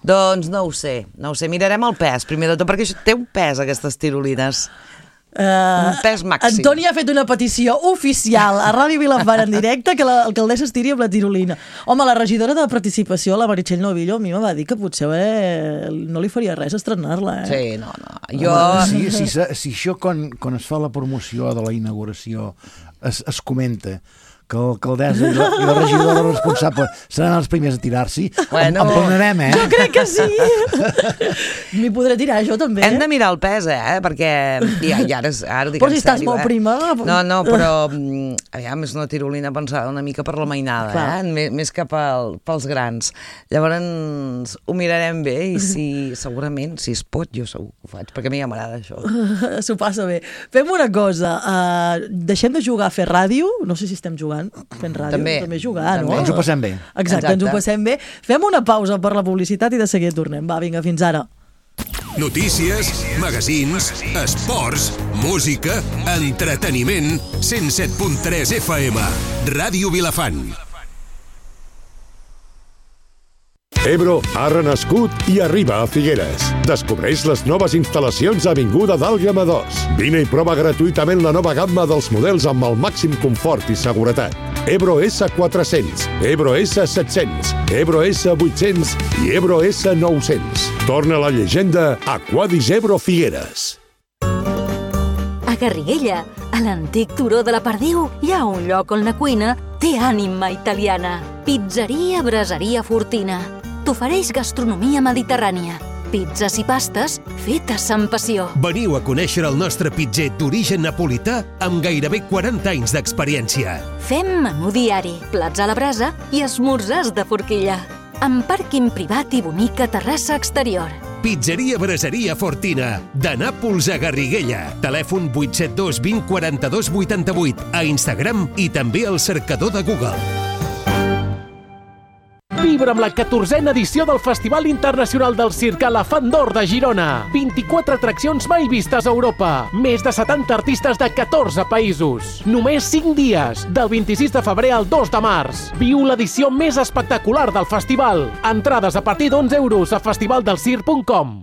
Speaker 4: Doncs no ho sé, no ho sé, mirarem el pes, primer de tot, perquè això té un pes, aquestes tirolines.
Speaker 1: Uh,
Speaker 4: Un pes màxim.
Speaker 1: Antoni ha fet una petició oficial a Ràdio Vilafant en directe que l'alcaldessa es tiri amb la tirolina. Home, la regidora de participació, la Meritxell Novillo, a mi me va dir que potser eh, no li faria res estrenar-la. Eh?
Speaker 4: Sí, no, no. Jo...
Speaker 3: Si, si, si, si això quan, quan es fa la promoció de la inauguració es, es comenta que l'alcaldessa i, la, i la regidora responsable seran els primers a tirar-s'hi,
Speaker 4: Bueno.
Speaker 3: en plenarem, eh?
Speaker 1: Jo crec que sí. M'hi podré tirar, jo també.
Speaker 4: Hem de mirar el pes, eh? Perquè... Ja, ja ara, ara ho dic
Speaker 1: Però
Speaker 4: en
Speaker 1: si estàs
Speaker 4: sèrio,
Speaker 1: molt
Speaker 4: eh?
Speaker 1: prima...
Speaker 4: No, no, però... Aviam, és una tirolina pensada una mica per la mainada,
Speaker 1: Clar.
Speaker 4: eh? Més, més que pel, pels grans. Llavors, ho mirarem bé i si, segurament, si es pot, jo segur que ho faig, perquè a mi ja m'agrada això.
Speaker 1: S'ho passa bé. Fem una cosa. Uh, deixem de jugar a fer ràdio. No sé si estem jugant fent ràdio.
Speaker 4: També.
Speaker 1: També jugar,
Speaker 4: També.
Speaker 1: no?
Speaker 3: Ens ho passem bé.
Speaker 1: Exacte,
Speaker 4: Exacte.
Speaker 1: ens ho passem bé. Fem una pausa per la publicitat i de seguida tornem. Va, vinga, fins ara.
Speaker 6: Notícies, magazins, esports, música, entreteniment, cent set punt tres F M. Ràdio Vilafant.
Speaker 7: Ebro ha renascut i arriba a Figueres. Descobreix les noves instal·lacions a Avinguda d'Àlguema dos. Vine i prova gratuïtament la nova gamma dels models amb el màxim confort i seguretat. Ebro S quatre-cents, Ebro S set-cents, Ebro S vuit-cents i Ebro S nou-cents. Torna la llegenda Aquadis Ebro Figueres.
Speaker 8: A Garriguella, a l'antic turó de la Perdiu, hi ha un lloc on la cuina té ànima italiana. Pizzeria Braseria Fortina. T'ofereix gastronomia mediterrània. Pizzas i pastes fetes amb passió.
Speaker 6: Veniu a conèixer el nostre pitzer d'origen napolità amb gairebé quaranta anys d'experiència.
Speaker 8: Fem menú diari, plats a la brasa i esmorzars de forquilla. Amb pàrquing privat i bonica terrassa exterior.
Speaker 6: Pizzeria Braseria Fortina, de Nàpols a Garriguella. Telèfon vuit set dos vint quaranta-dos vuitanta-vuit, a Instagram i també al cercador de Google.
Speaker 9: Vibra amb la catorzena edició del Festival Internacional del Circ Elefant d'Or de Girona. vint-i-quatre atraccions mai vistes a Europa. Més de setanta artistes de catorze països. Només cinc dies, del vint-i-sis de febrer al dos de març. Viu l'edició més espectacular del festival. Entrades a partir d'onze euros a festivaldelcirc punt com.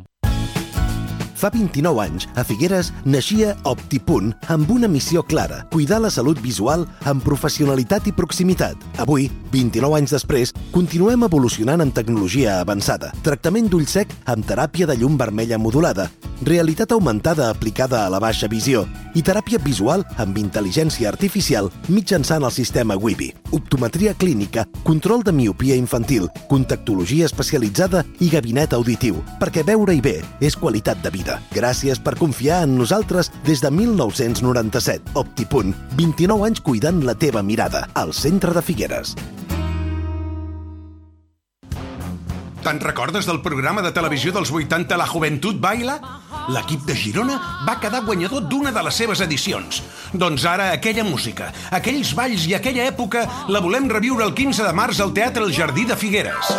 Speaker 10: Fa vint-i-nou anys, a Figueres naixia OptiPunt amb una missió clara, cuidar la salut visual amb professionalitat i proximitat. Avui, vint-i-nou anys després, continuem evolucionant en tecnologia avançada. Tractament d'ull sec amb teràpia de llum vermella modulada, realitat augmentada aplicada a la baixa visió i teràpia visual amb intel·ligència artificial mitjançant el sistema Wibi. Optometria clínica, control de miopia infantil, contactologia especialitzada i gabinet auditiu, perquè veure-hi bé és qualitat de vida. Gràcies per confiar en nosaltres des de mil nou-cents noranta-set. OptiPunt, vint-i-nou anys cuidant la teva mirada, al centre de Figueres.
Speaker 11: Te'n recordes del programa de televisió dels vuitanta La Joventut Baila? L'equip de Girona va quedar guanyador d'una de les seves edicions. Doncs ara aquella música, aquells balls i aquella època la volem reviure el quinze de març al Teatre El Jardí de Figueres.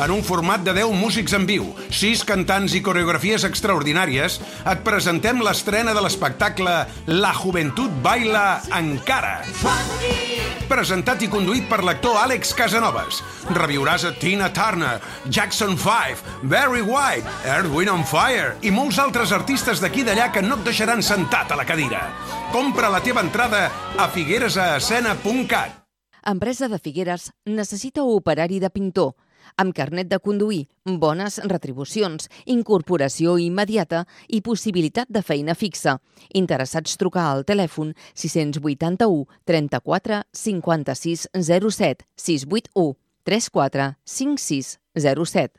Speaker 11: En un format de deu músics en viu, sis cantants i coreografies extraordinàries, et presentem l'estrena de l'espectacle La Joventut Baila Encara. Presentat i conduït per l'actor Àlex Casanovas. Reviuràs a Tina Turner, Jackson five, Barry White, Earth, Wind and Fire i molts altres artistes d'aquí i d'allà que no et deixaran sentat a la cadira. Compra la teva entrada a figueresescena punt cat.
Speaker 12: Empresa de Figueres necessita operari de pintor, amb carnet de conduir, bones retribucions, incorporació immediata i possibilitat de feina fixa. Interessats trucar al telèfon sis vuitanta-u trenta-quatre cinquanta-sis zero set, sis vuit u trenta quatre cinquanta sis zero set.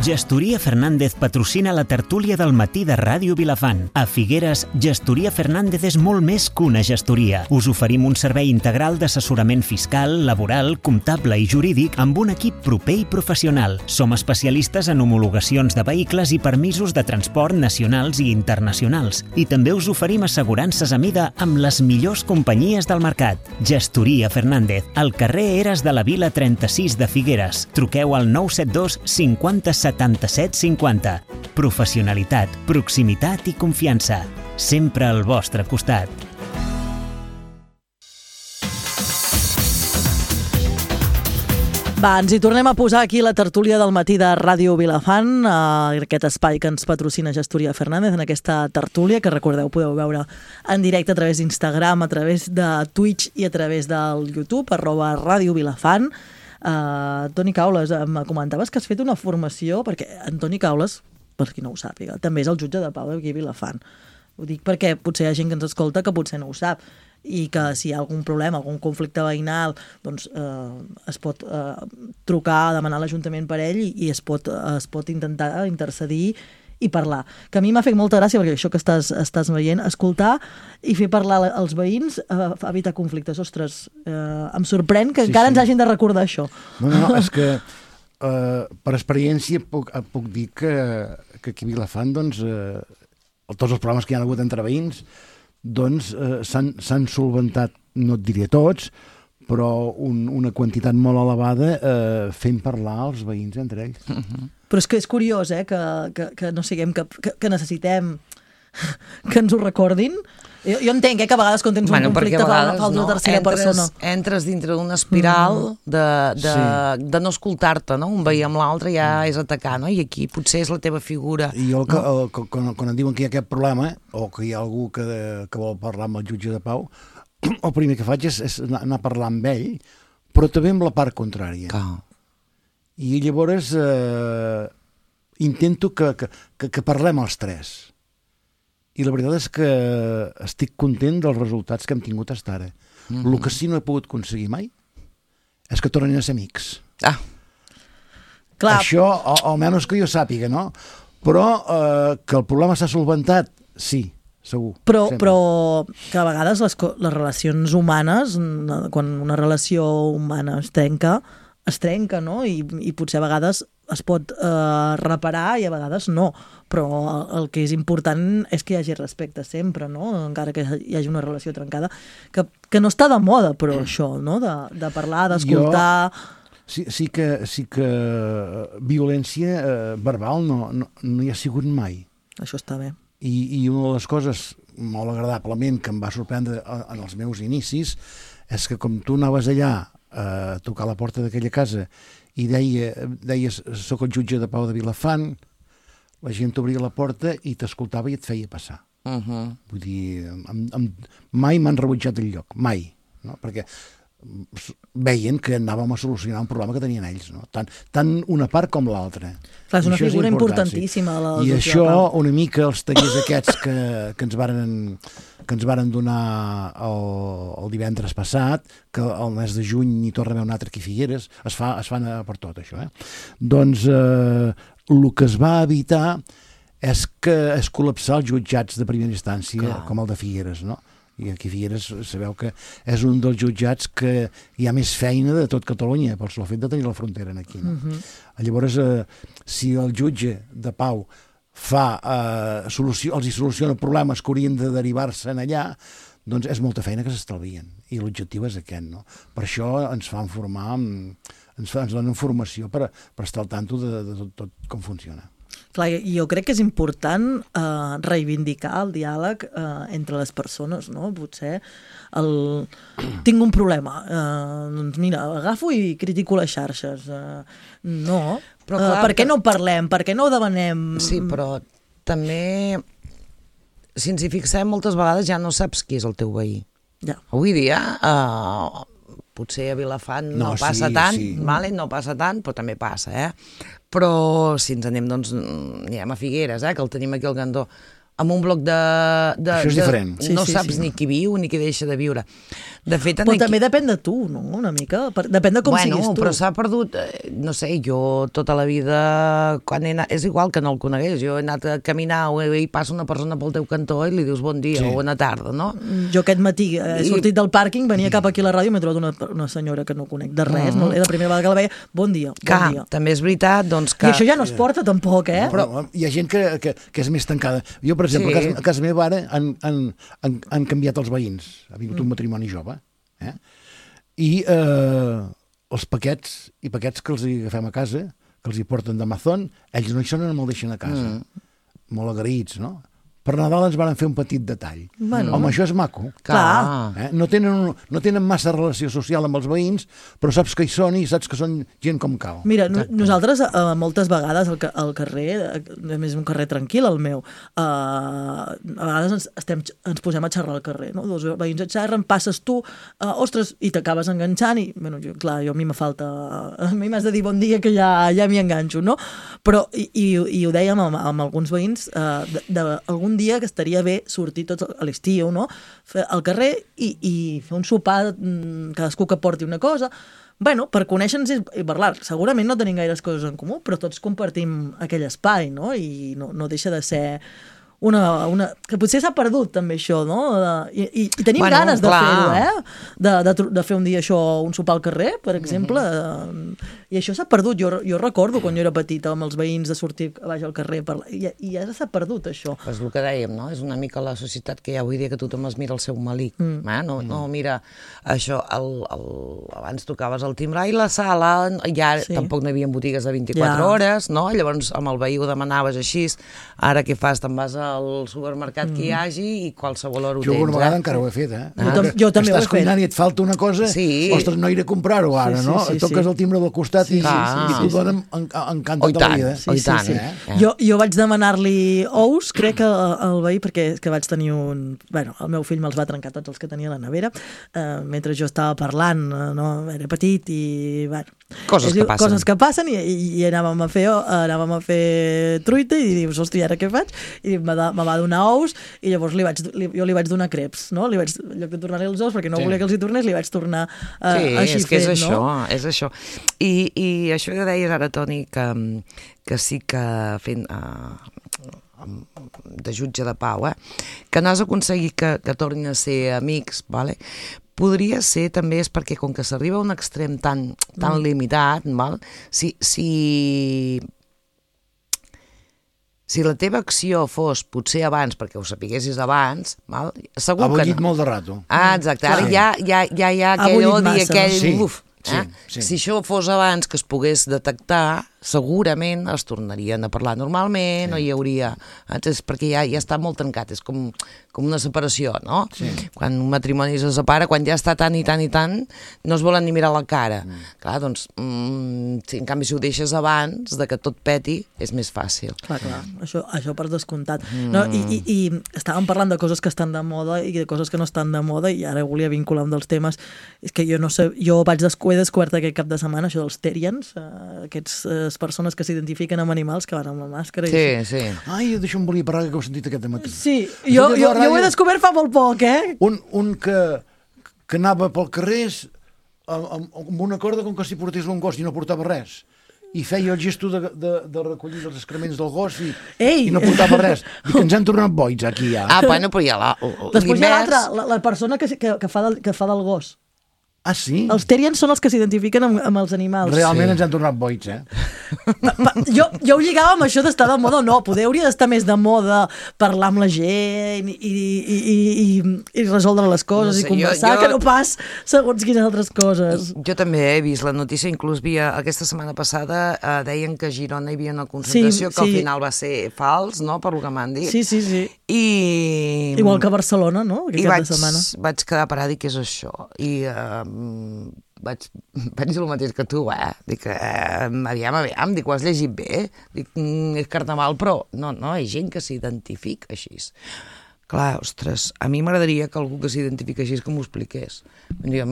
Speaker 2: Gestoria Fernández patrocina la tertúlia del matí de Ràdio Vilafant. A Figueres, Gestoria Fernández és molt més que una gestoria. Us oferim un servei integral d'assessorament fiscal, laboral, comptable i jurídic amb un equip proper i professional. Som especialistes en homologacions de vehicles i permisos de transport nacionals i internacionals. I també us oferim assegurances a mida amb les millors companyies del mercat. Gestoria Fernández, al carrer Eres de la Vila trenta-sis de Figueres. Truqueu al nou set dos cinquanta setanta-set cinquanta. Professionalitat, proximitat i confiança. Sempre al vostre costat.
Speaker 1: Va, ens hi tornem a posar aquí la tertúlia del matí de Ràdio Vilafant, eh, aquest espai que ens patrocina Gestoria Fernández, en aquesta tertúlia, que recordeu, podeu veure en directe a través d'Instagram, a través de Twitch i a través del YouTube, arroba Ràdio Vilafant. Uh, Toni Caules, em comentaves que has fet una formació, perquè en Toni Caules, per qui no ho sàpiga, també és el jutge de pau d'aquí a Vilafant. Ho dic perquè potser hi ha gent que ens escolta que potser no ho sap, i que si hi ha algun problema, algun conflicte veïnal, doncs eh, es pot eh, trucar, demanar a l'Ajuntament per ell i, i es, pot, es pot intentar intercedir i parlar. Que a mi m'ha fet molta gràcia, perquè això que estàs, estàs veient, escoltar i fer parlar els veïns, eh, evitar conflictes. Ostres, eh, em sorprèn que sí, encara sí. ens hagin de recordar això.
Speaker 3: No, no, és que eh, per experiència puc, puc dir que, que aquí a Vilafant, doncs, eh, tots els problemes que hi ha hagut entre veïns, doncs eh, s'han solventat, no et diria tots, però un, una quantitat molt elevada eh, fent parlar els veïns entre ells.
Speaker 1: Uh-huh. Però és que és curiós, eh, que, que, que no siguem, que, que necessitem que ens ho recordin, Jo, jo entenc eh, que a vegades quan tens
Speaker 4: bueno,
Speaker 1: un conflicte
Speaker 4: vegades,
Speaker 1: fa una
Speaker 4: no,
Speaker 1: tercera
Speaker 4: entres,
Speaker 1: persona.
Speaker 4: Entres dintre d'una espiral mm. de, de,
Speaker 3: Sí.
Speaker 4: de no escoltar-te, no? Un veí amb l'altre ja és atacar, no? I aquí potser és la teva figura.
Speaker 3: I jo,
Speaker 4: no?
Speaker 3: el, el, quan, quan em diuen que hi ha aquest problema, o que hi ha algú que, que vol parlar amb el jutge de pau, el primer que faig és, és anar, anar a parlar amb ell, però també amb la part contrària.
Speaker 4: Clar.
Speaker 3: I llavors eh, intento que, que, que, que parlem els tres. I la veritat és que estic content dels resultats que hem tingut fins ara. Mm-hmm. El que sí no he pogut aconseguir mai és que tornin a ser amics.
Speaker 4: Ah.
Speaker 1: Clar.
Speaker 3: Això, o, almenys que jo sàpiga, no? Però eh, que el problema s'ha solventat, sí, segur.
Speaker 1: Però,
Speaker 3: sempre.
Speaker 1: però que a vegades les, les relacions humanes, quan una relació humana es trenca, es trenca, no? I, i potser a vegades es pot eh, reparar i a vegades no. Però el que és important és que hi hagi respecte sempre, no? Encara que hi hagi una relació trencada, que, que no està de moda, però això, no? De, de parlar, d'escoltar...
Speaker 3: Sí, sí, que, sí que violència eh, verbal no, no, no hi ha sigut mai.
Speaker 1: Això està bé.
Speaker 3: I, i una de les coses molt agradablement que em va sorprendre en els meus inicis és que com tu anaves allà a tocar la porta d'aquella casa i deia, deies soc el jutge de Pau de Vilafant, la gent t'obria la porta i t'escoltava i et feia passar.
Speaker 4: Uh-huh.
Speaker 3: Vull dir, em, em, mai m'han rebutjat el lloc, mai. No? Perquè veien que anàvem a solucionar un problema que tenien ells, no? Tant, tant una part com l'altra.
Speaker 1: Clar, és una
Speaker 3: això
Speaker 1: figura
Speaker 3: és important,
Speaker 1: importantíssima.
Speaker 3: Sí.
Speaker 1: La
Speaker 3: I això, una mica, els tallers aquests que, que ens varen que ens varen donar el, el divendres passat, que el mes de juny hi torna a haver un altre aquí a Figueres, es, fa, es fan per tot això. Eh? Doncs eh, el que es va evitar és que es col·lapsar els jutjats de primera instància, clar, com el de Figueres, no? I aquí a Figueres sabeu que és un dels jutjats que hi ha més feina de tot Catalunya pel sol fet de tenir la frontera aquí. No? Uh-huh. Llavors, eh, si el jutge de Pau fa, eh, solució, els hi soluciona problemes que haurien de derivar-se en allà, doncs és molta feina que s'estalvien. I l'objectiu és aquest. No? Per això ens fan formar, ens, fa, ens donen formació per, per estar al tanto de, de tot, tot com funciona.
Speaker 1: Clar, jo crec que és important eh, reivindicar el diàleg eh, entre les persones, no? Potser el... tinc un problema, eh, doncs mira, agafo i critico les xarxes. Eh, no, però, clar, eh, per què no parlem? Per què no ho demanem?
Speaker 4: Sí, però també, si ens hi fixem, moltes vegades ja no saps qui és el teu veí.
Speaker 1: Ja.
Speaker 4: Avui dia... Eh, potser a Vilafant no, no passa sí, tant, sí. Vale? No passa tant, però també passa, eh? Però si ens anem, doncs, anem a Figueres, eh? Que el tenim aquí al Gandó, amb un bloc de... de
Speaker 3: Això és
Speaker 4: de,
Speaker 3: diferent.
Speaker 4: Sí, no
Speaker 1: sí,
Speaker 4: saps
Speaker 1: sí.
Speaker 4: ni qui viu ni qui deixa de viure. De fet,
Speaker 1: però
Speaker 4: aquí...
Speaker 1: també depèn de tu, no? Una mica. Depèn de com
Speaker 4: bueno,
Speaker 1: siguis tu.
Speaker 4: Però s'ha perdut, no sé, jo tota la vida, quan he anat, és igual que no el conegués, jo he anat a caminar i passa una persona pel teu cantó i li dius bon dia sí. o bona tarda, no?
Speaker 1: Jo aquest matí he sortit del pàrquing, venia cap aquí a la ràdio i m'he trobat una, una senyora que no conec de res, mm. no? Era la primera vegada que la veia, bon dia, bon
Speaker 4: Clar,
Speaker 1: dia.
Speaker 4: També és veritat, doncs que...
Speaker 1: I això ja no es porta tampoc, eh?
Speaker 3: No, però hi ha gent que, que, que és més tancada. Jo, per exemple, sí. a, casa, a casa meva ara han, han, han, han canviat els veïns. Ha vingut mm. un matrimoni jove, eh? I eh, els paquets i paquets que els hi agafem a casa, que els hi porten d'Amazon, ells no hi són i no me'l deixen a casa. Mm. Molt agraïts, no? Per Nadal ens van fer un petit detall. Bueno. Home, això és maco.
Speaker 1: Clar.
Speaker 3: Eh? No, tenen, no tenen massa relació social amb els veïns, però saps que hi són i saps que són gent com cal.
Speaker 1: Mira, no, nosaltres eh, moltes vegades al, al carrer, a més un carrer tranquil, el meu, eh, a vegades ens, estem, ens posem a xerrar al carrer, no? Dos veïns et xerren, passes tu, eh, ostres, i t'acabes enganxant i, bueno, jo, clar, jo a mi me falta... A mi m'has de dir bon dia que ja, ja m'hi enganxo, no? Però, i, i, i ho dèiem amb, amb alguns veïns, eh, d'algun dia que estaria bé sortir tots a l'estiu, no? Fer al carrer i, i fer un sopar, cadascú que porti una cosa. Bueno, per conèixer-nos i parlar. Segurament no tenim gaires coses en comú, però tots compartim aquell espai, no? I no, no deixa de ser una, una... que potser s'ha perdut també això, no? I, i, i tenim bueno, ganes de fer-ho, eh? De, de, de fer un dia això, un sopar al carrer, per exemple. Mm-hmm. I això s'ha perdut. Jo, jo recordo quan jo era petita amb els veïns de sortir a baix al carrer per... i, i ja s'ha perdut això.
Speaker 4: És el que dèiem, no? És una mica la societat que hi ha avui dia que tothom es mira el seu malic. Mm. Eh? No, no, mira, això, el, el, abans tocaves el timbre i la sala, ja sí. Tampoc no hi havia botigues de vint-i-quatre ja. hores, no? Llavors amb el veí ho demanaves així, ara què fas? Te'n vas a al supermercat mm. que hi hagi i qualsevol hora ho
Speaker 3: jo
Speaker 4: tens.
Speaker 3: Jo una vegada
Speaker 4: eh?
Speaker 3: encara ho he fet, eh?
Speaker 1: Jo, tam jo també ho he fet.
Speaker 3: Estàs cuinant i et falta una cosa,
Speaker 4: sí.
Speaker 3: ostres, no iré a comprar-ho ara,
Speaker 1: sí, sí,
Speaker 3: no?
Speaker 1: sí, sí,
Speaker 3: Toques
Speaker 1: sí.
Speaker 3: el timbre del costat
Speaker 1: sí,
Speaker 3: i,
Speaker 1: sí,
Speaker 3: sí, sí, i t'ho donen encantat
Speaker 4: oh,
Speaker 3: de la vida.
Speaker 4: Sí, sí,
Speaker 1: tant.
Speaker 4: sí.
Speaker 3: Eh?
Speaker 1: Eh? Jo, jo vaig demanar-li ous, crec que el veí, perquè que vaig tenir un... Bueno, el meu fill me'ls va trencar tots els que tenia a la nevera, eh, mentre jo estava parlant, no? Era petit i... Bueno,
Speaker 4: coses que passen.
Speaker 1: Coses que passen i, i, i anàvem a fer, anàvem a fer truita i dius, hosti, ara què faig? I me, da, me va donar ous i llavors li vaig, li, jo li vaig donar creps, no? Li vaig, en lloc de tornar-li els ous, perquè no sí. volia que els hi tornés, li vaig tornar uh,
Speaker 4: sí,
Speaker 1: així
Speaker 4: és que
Speaker 1: fet,
Speaker 4: és
Speaker 1: no?
Speaker 4: això, és això. I, i això que deies ara, Toni, que, que sí que fent... Uh, de jutge de pau, eh? que no has aconseguit que, que tornin a ser amics, vale? Podria ser també és perquè com que s'arriba a un extrem tan, tan mm. limitat, val? Si, si, si la teva acció fos potser abans, perquè ho sapiguessis abans, val? Segur
Speaker 3: ha
Speaker 4: que
Speaker 3: bullit
Speaker 4: no.
Speaker 3: molt de rato.
Speaker 4: Ah, exacte, ara
Speaker 3: sí.
Speaker 4: ja, ja, ja hi ha aquell odi, aquell...
Speaker 3: Sí.
Speaker 4: Uf,
Speaker 3: Sí,
Speaker 4: eh?
Speaker 3: sí.
Speaker 4: Si això fos abans que es pogués detectar, segurament es tornarien a parlar normalment, sí. no hi hauria... És perquè ja, ja està molt trencat, és com, com una separació, no?
Speaker 3: Sí.
Speaker 4: Quan un matrimoni se separa, quan ja està tant i tant i tant, no es volen ni mirar la cara. Mm. Clar, doncs, mm, si, en canvi, si ho deixes abans de que tot peti, és més fàcil.
Speaker 1: Clar, clar, això, això per descomptat. Mm. No, i, i, I estàvem parlant de coses que estan de moda i de coses que no estan de moda i ara volia vincular un dels temes. És que jo no sé, jo vaig descobrir he descobert aquest cap de setmana això dels Terians, uh, aquestes uh, persones que s'identifiquen amb animals que van amb la màscara.
Speaker 4: Sí,
Speaker 1: i
Speaker 4: sí.
Speaker 3: Ai, d'això em volia parlar, que ho he sentit aquest matí.
Speaker 1: Sí, jo, jo, jo ho he descobert fa molt poc, eh?
Speaker 3: Un, un que, que anava pel carrer amb, amb una corda com que si portés un gos i no portava res. I feia el gesto de, de, de recollir els excrements del gos i, i no portava res. Dic que ens han tornat boig aquí ja.
Speaker 4: Ah, bueno, però hi ha la...
Speaker 1: Després hi ha l'altra, la, la persona que, que, que, fa del, que fa del gos.
Speaker 3: Ah, sí?
Speaker 1: Els Terians són els que s'identifiquen amb, amb els animals.
Speaker 3: Realment
Speaker 1: sí.
Speaker 3: ens han tornat boig, eh?
Speaker 1: Pa, pa, jo, jo ho lligava amb això d'estar de moda o no. Poder hauria d'estar més de moda parlar amb la gent i, i, i, i, i resoldre les coses no sé, i conversar, jo, jo... que no pas segons quines altres coses.
Speaker 4: Jo també he vist la notícia, inclús via, aquesta setmana passada eh, deien que a Girona hi havia una concentració sí, que al sí. final va ser fals, no?, per lo que m'han dit.
Speaker 1: Sí, sí, sí.
Speaker 4: I...
Speaker 1: Igual que a Barcelona, no?, aquest
Speaker 4: I
Speaker 1: cap
Speaker 4: vaig,
Speaker 1: de setmana.
Speaker 4: vaig quedar parada i què és això? I... Eh, vaig, vaig dir el mateix que tu, eh? Dic, eh, aviam, aviam, dic, ho has llegit bé? Dic, mm, és carnaval, però no, no, hi ha gent que s'identifica així. Clar, ostres, a mi m'agradaria que algú que s'identifica així que m'ho expliqués. Jo,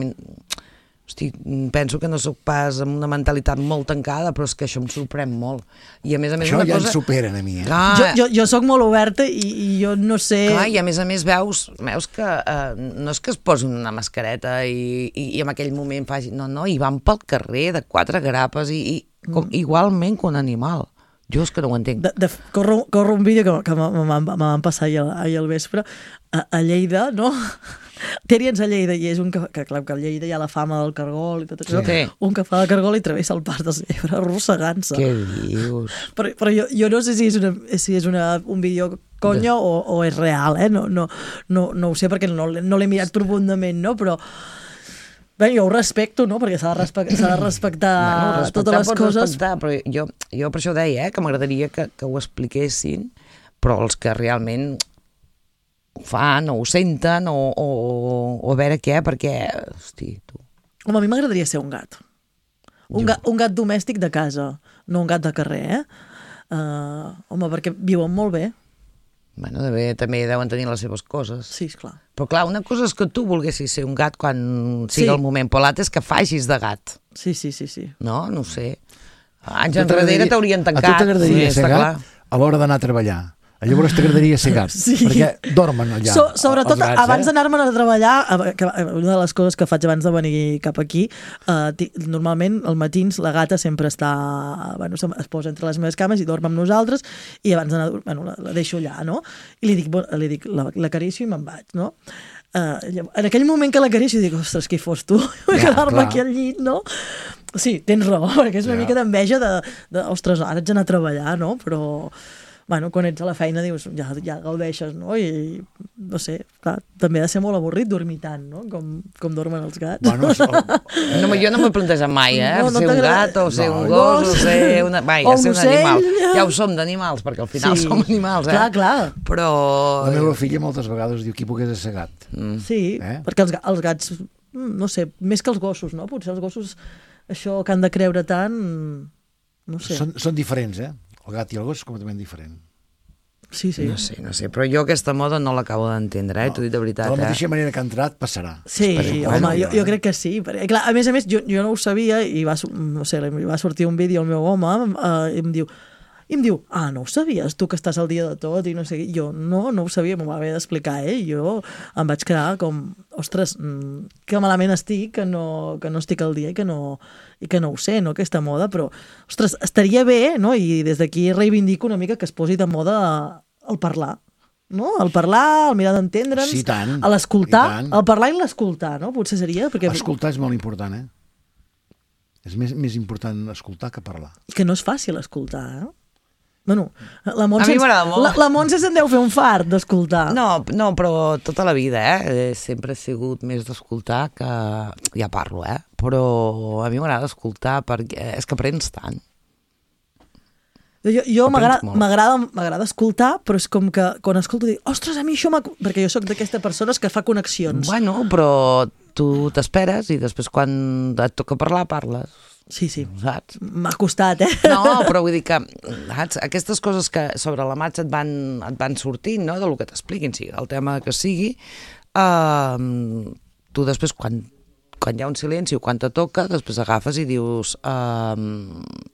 Speaker 4: hosti, penso que no sóc pas amb una mentalitat molt tancada, però és que això em sorprèn molt. I a més a més
Speaker 3: això
Speaker 4: una
Speaker 3: ja
Speaker 4: cosa...
Speaker 3: ens superen a mi, eh?
Speaker 4: Clar,
Speaker 1: jo, jo, jo sóc molt oberta i, i jo no sé...
Speaker 4: Clar, i a més a més veus, veus que eh, no és que es posin una mascareta i, i, i en aquell moment faci... No, no, i van pel carrer de quatre grapes i, i com, mm. igualment que un animal. Jo és que no ho entenc.
Speaker 1: De, de, corro, corro un vídeo que, que me van passar ahir, ahir al vespre a, a Lleida, no? Terians a Lleida, i és un que, que clar, que a Lleida hi ha la fama del cargol i tot això, sí. Un que fa de cargol i travessa el pas del Segre arrossegant-se.
Speaker 4: Què dius?
Speaker 1: Però, però jo, jo no sé si és, una, si és una, un vídeo conya o, o és real, eh? No, no, no, no ho sé perquè no, no l'he mirat profundament, no? Però bé, jo ho respecto, no? Perquè s'ha de, respect, de respectar bueno, totes les coses.
Speaker 4: Respectar, però jo, jo per això deia, eh, que m'agradaria que, que ho expliquessin, però els que realment ho fan, o ho senten, o, o, o a veure què, perquè, hosti, tu...
Speaker 1: Home, a mi m'agradaria ser un gat. Un, gat. un gat domèstic de casa, no un gat de carrer, eh? Uh, home, perquè viuen molt bé.
Speaker 4: Bueno, de bé, també deuen tenir les seves coses.
Speaker 1: Sí, esclar.
Speaker 4: Però clar, una cosa és que tu volguessis ser un gat quan sigui sí. el moment, però l'altre és que facis de gat.
Speaker 1: Sí, sí, sí, sí.
Speaker 4: No? No ho sé. Anys enrere t'haurien tancat.
Speaker 3: A tu t'agradaria
Speaker 4: sí,
Speaker 3: ser gat clar. A l'hora d'anar a treballar? Llavors t'agradaria ser gat, sí. perquè dormen allà. So,
Speaker 1: sobretot,
Speaker 3: gats,
Speaker 1: abans
Speaker 3: eh?
Speaker 1: d'anar-me'n a treballar, que una de les coses que faig abans de venir cap aquí, eh, normalment al matins la gata sempre està, bueno, es posa entre les meves cames i dorm amb nosaltres, i abans d'anar, bueno, la, la deixo allà, no? I li dic, bueno, li dic l'acaricio i me'n vaig, no? Uh, en aquell moment que l'acaricio dic, ostres, qui fos tu? Vull ja, quedar-me aquí al llit, no? Sí, tens raó, perquè és una ja. mica d'enveja de, de, ostres, ara haig d'anar a treballar, no? Però... bueno, quan ets a la feina dius, ja, ja gaudeixes, no? I, no sé, clar, també ha de ser molt avorrit dormir tant, no? Com, com dormen els gats.
Speaker 3: Bueno, això...
Speaker 4: no, jo no m'he plantejat mai, eh?
Speaker 1: No, no
Speaker 4: ser un gat o ser
Speaker 1: no,
Speaker 4: un gos o ser una... Vai,
Speaker 1: o
Speaker 4: ser un
Speaker 1: ocell,
Speaker 4: animal.
Speaker 1: Ja.
Speaker 4: Ja ho som d'animals, perquè al final
Speaker 1: sí.
Speaker 4: som animals, eh?
Speaker 1: Clar, clar.
Speaker 4: Però...
Speaker 3: La meva filla moltes vegades diu qui pogués ser gat.
Speaker 1: Mm. Sí, eh? perquè els, els gats, no sé, més que els gossos, no? Potser els gossos, això que han de creure tant, no sé.
Speaker 3: Són, són diferents, eh? El gat i el gos és completament diferent.
Speaker 1: Sí, sí.
Speaker 4: No sé, no sé, però jo aquesta moda no l'acabo d'entendre, eh? No. T'ho dic de veritat, eh?
Speaker 3: De la mateixa eh? manera que ha entrat, passarà.
Speaker 1: Sí, home, bueno, jo, jo crec que sí. Perquè, clar, a més a més, jo, jo no ho sabia i va, no sé, va sortir un vídeo al meu home eh, i em diu, i em diu, ah, no ho sabies, tu que estàs al dia de tot i no sé, jo no, no ho sabia, m'ho va haver d'explicar ell, eh? Jo em vaig quedar com, ostres, que malament estic, que no, que no estic al dia i que no, i que no ho sé, no, aquesta moda, però, ostres, estaria bé, no?, i des d'aquí reivindico una mica que es posi de moda el parlar, no?, el parlar, el mirar d'entendre'ns,
Speaker 3: sí, tant,
Speaker 1: l'escoltar, el parlar i l'escoltar, no?, potser seria, perquè...
Speaker 3: Escoltar és molt important, eh? És més, més important escoltar que parlar.
Speaker 1: I que no és fàcil escoltar, eh? Bueno, la Montse,
Speaker 4: a mi m'agrada molt.
Speaker 1: La, la Montse se'n deu fer un fart d'escoltar.
Speaker 4: No, no, però tota la vida, eh? Sempre he sigut més d'escoltar que... Ja parlo, eh? Però a mi m'agrada escoltar perquè és que aprens tant.
Speaker 1: Jo, jo m'agrada escoltar, però és com que quan escolto dic, ostres, a mi això m'ha... Perquè jo sóc d'aquestes persones que fa connexions.
Speaker 4: Bueno, però tu t'esperes i després quan et toca parlar, parles.
Speaker 1: Sí, sí,
Speaker 4: saps?
Speaker 1: M'ha costat, eh?
Speaker 4: No, però vull dir que saps? Aquestes coses que sobre la marxa et van, et van sortint, no?, del que t'expliquin, sigui el tema que sigui, uh, tu després, quan, quan hi ha un silenci o quan te toca, després agafes i dius uh,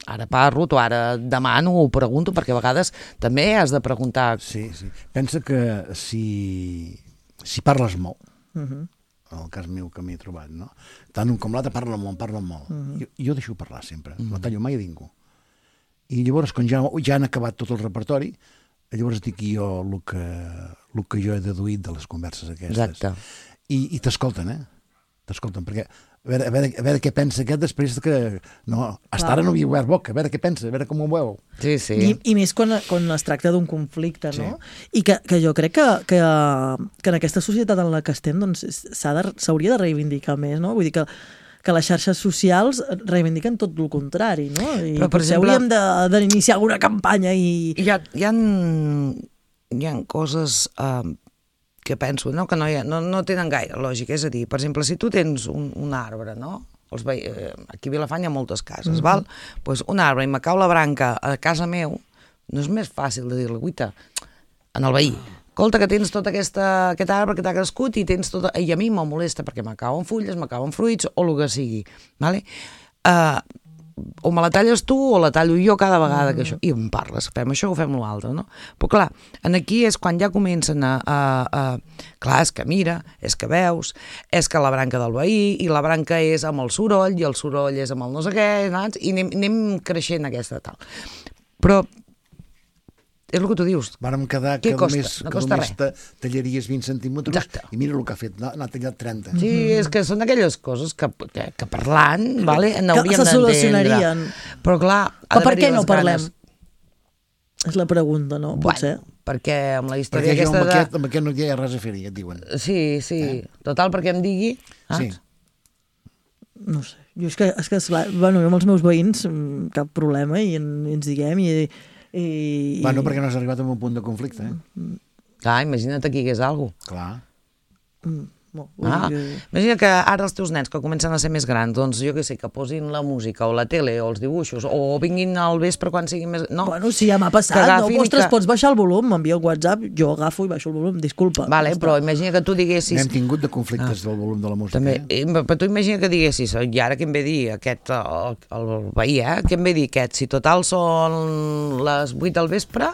Speaker 4: ara parlo, o ara demano o pregunto, perquè a vegades també has de preguntar.
Speaker 3: Sí, sí. Pensa que si, si parles molt,
Speaker 1: uh-huh.
Speaker 3: en el cas meu que m'he trobat, no? Tant un com l'altre parlen molt, parlen molt. Uh-huh. jo, jo deixo parlar sempre, uh-huh. no tallo mai a ningú. I llavors, quan ja, ja han acabat tot el repertori, llavors dic jo el que, el que jo he deduït de les converses aquestes.
Speaker 4: Exacte.
Speaker 3: I, i t'escolten, eh? T'escolten, perquè a veure, a, veure, a veure què pensa aquest després que... No, hasta ara no havia obert boca, a veure què pensa, a veure com ho veu.
Speaker 4: Sí, sí.
Speaker 1: I, i més quan, quan es tracta d'un conflicte, no? Sí. I que, que jo crec que, que, que en aquesta societat en la que estem doncs, s'hauria de, de reivindicar més, no? Vull dir que, que les xarxes socials reivindiquen tot el contrari, no? I
Speaker 4: però, per
Speaker 1: potser
Speaker 4: exemple,
Speaker 1: hauríem d'iniciar alguna campanya i...
Speaker 4: Hi ha, hi ha, hi ha coses... Uh, que penso, no? Que no, ha, no, no tenen gaire lògica, és a dir, per exemple, si tu tens un, un arbre, no? Els ve... Aquí a Vilafant hi ha moltes cases, mm-hmm. val? Pues un arbre i me cau la branca a casa meu, no és més fàcil de dir-li, guita, en el veí, escolta, que tens tot aquesta, aquest arbre que t'ha crescut i tens tot... I a mi me molesta perquè me cauen fulles, me cauen fruits o el que sigui, vale? Uh, o me la talles tu o la tallo jo cada vegada que això, i em parles, fem això o fem l'altre, no? Però clar, aquí és quan ja comencen a, a, a... Clar, és que mira, és que veus, és que la branca del veí, i la branca és amb el soroll, i el soroll és amb el no sé què, saps? I anem, anem creixent aquesta tal. Però és el que tu dius.
Speaker 3: Vàrem quedar que només, no que només tallaries vint centímetres. Exacte. I mira el que ha fet, n'ha tallat trenta.
Speaker 4: Sí, és que són aquelles coses que, que, que parlant, vale, n'hauríem
Speaker 1: d'entendre. Que se solucionarien.
Speaker 4: Però clar...
Speaker 1: Però per què no parlem? Ganes... És la pregunta, no? Potser.
Speaker 4: Bueno, perquè amb la història
Speaker 3: perquè
Speaker 4: aquesta
Speaker 3: amb
Speaker 4: de...
Speaker 3: Aquest, amb aquest no hi ha res a fer-hi, et diuen.
Speaker 4: Sí, sí. Eh? Total, perquè em digui... Ah?
Speaker 3: Sí.
Speaker 1: No sé. Jo és que, és que esclar, bueno, jo amb els meus veïns, cap problema, i, en, i ens diguem, i... I...
Speaker 3: Bueno, perquè no has arribat a un punt de conflicte, eh?
Speaker 4: Clar, imagina't aquí que és alguna cosa.
Speaker 3: Clar.
Speaker 1: Mm, no,
Speaker 4: ah, que... Imagina que ara els teus nens que comencen a ser més grans, doncs jo què sé, que posin la música o la tele o els dibuixos o vinguin al vespre quan siguin més... No.
Speaker 1: Bueno, sí, ja m'ha passat, no? Ostres, que... pots baixar el volum, m'envia el WhatsApp, jo agafo i baixo el volum, disculpa.
Speaker 4: Vale, però imagina que tu diguessis...
Speaker 3: N'hem tingut de conflictes ah. del volum de la música.
Speaker 4: També,
Speaker 3: eh?
Speaker 4: Però tu imagina que diguessis, i ara què em ve dir aquest, el, el veí, eh? Què em ve dir aquest? Si total són les vuit del vespre,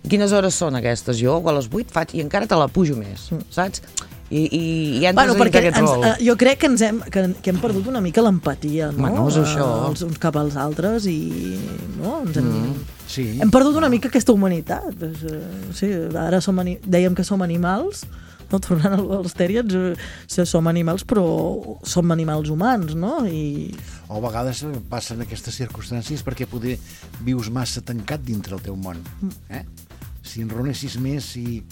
Speaker 4: quines hores són aquestes? Jo a les vuit faig i encara te la pujo més, saps? I, i, i ja
Speaker 1: bueno, perquè ens, uh, jo crec que, ens hem, que, que hem perdut una mica l'empatia, no?
Speaker 4: Bueno, és això.
Speaker 1: Uh, els uns cap als altres i no? Ens hem,
Speaker 3: mm, sí.
Speaker 1: hem perdut una mica aquesta humanitat. Pues, uh, sí, ara som dèiem que som animals, no? Tornant als tèriens, uh, som animals però som animals humans, no? I...
Speaker 3: O a vegades passen aquestes circumstàncies perquè poder vius massa tancat dintre el teu món, eh? si enronessis més, si,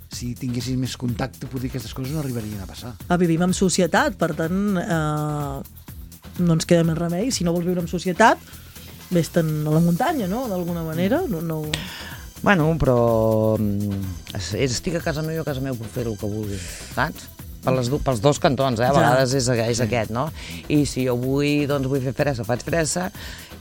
Speaker 3: si tinguessis més contacte, potser aquestes coses no arribarien a passar.
Speaker 1: Ah, vivim en societat, per tant, eh, no ens queda més remei. Si no vols viure en societat, vés-te'n a la muntanya, no?, d'alguna manera. No, no...
Speaker 4: Bueno, però estic a casa meva i a casa meu puc fer el que vulgui, saps? Per les, pels dos cantons, eh? A vegades és, és aquest, no? I si jo vull, doncs vull fer fressa, faig fressa,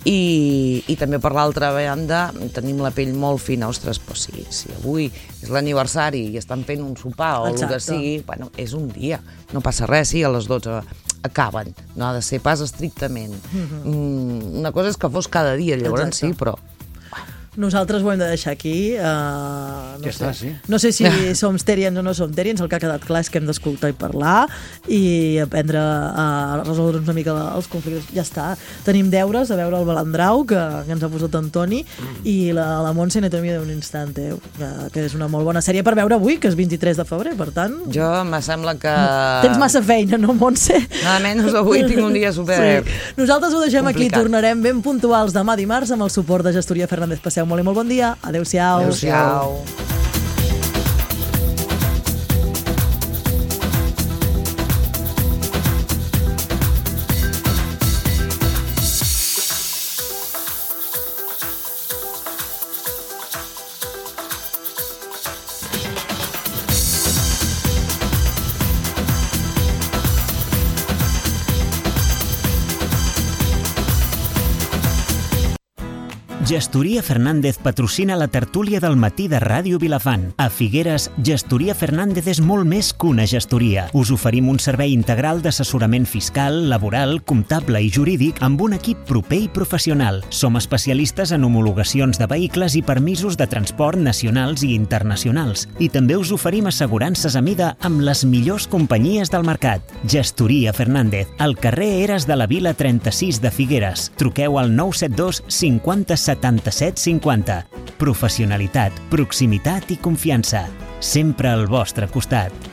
Speaker 4: i, i també per l'altra banda tenim la pell molt fina, ostres, però si, si avui és l'aniversari i estan fent un sopar o el que sigui, bueno, és un dia, no passa res, sí, a les dotze acaben, no ha de ser pas estrictament. Mm, una cosa és que fos cada dia, llavors sí, però...
Speaker 1: Nosaltres ho hem de deixar aquí. Uh, no,
Speaker 3: ja
Speaker 1: sé.
Speaker 3: Està, sí.
Speaker 1: No sé si som terians o no som terians, el que ha quedat clar és que hem d'escoltar i parlar i aprendre a resoldre una mica els conflictes. Ja està. Tenim deures a veure el Balandrau, que, que ens ha posat Antoni, mm. i la, la Montse Anatomia d'un instant, eh, que, que és una molt bona sèrie per veure avui, que és vint-i-tres de febrer, per tant...
Speaker 4: Jo me sembla que...
Speaker 1: Tens massa feina, no, Montse?
Speaker 4: Nada menys, avui tinc un dia super...
Speaker 1: Sí. Nosaltres ho deixem
Speaker 4: complicat.
Speaker 1: aquí, tornarem ben puntuals demà dimarts amb el suport de Gestoria Fernández. Passeu molt i molt bon dia. Adéu-siau.
Speaker 4: Adéu-siau.
Speaker 2: Gestoria Fernández patrocina la tertúlia del matí de Ràdio Vilafant. A Figueres, Gestoria Fernández és molt més que una gestoria. Us oferim un servei integral d'assessorament fiscal, laboral, comptable i jurídic amb un equip proper i professional. Som especialistes en homologacions de vehicles i permisos de transport nacionals i internacionals. I també us oferim assegurances a mida amb les millors companyies del mercat. Gestoria Fernández, al carrer Eres de la Vila trenta-sis de Figueres. Truqueu al nou set dos cinquanta setanta-set cinquanta. Professionalitat, proximitat i confiança. Sempre al vostre costat.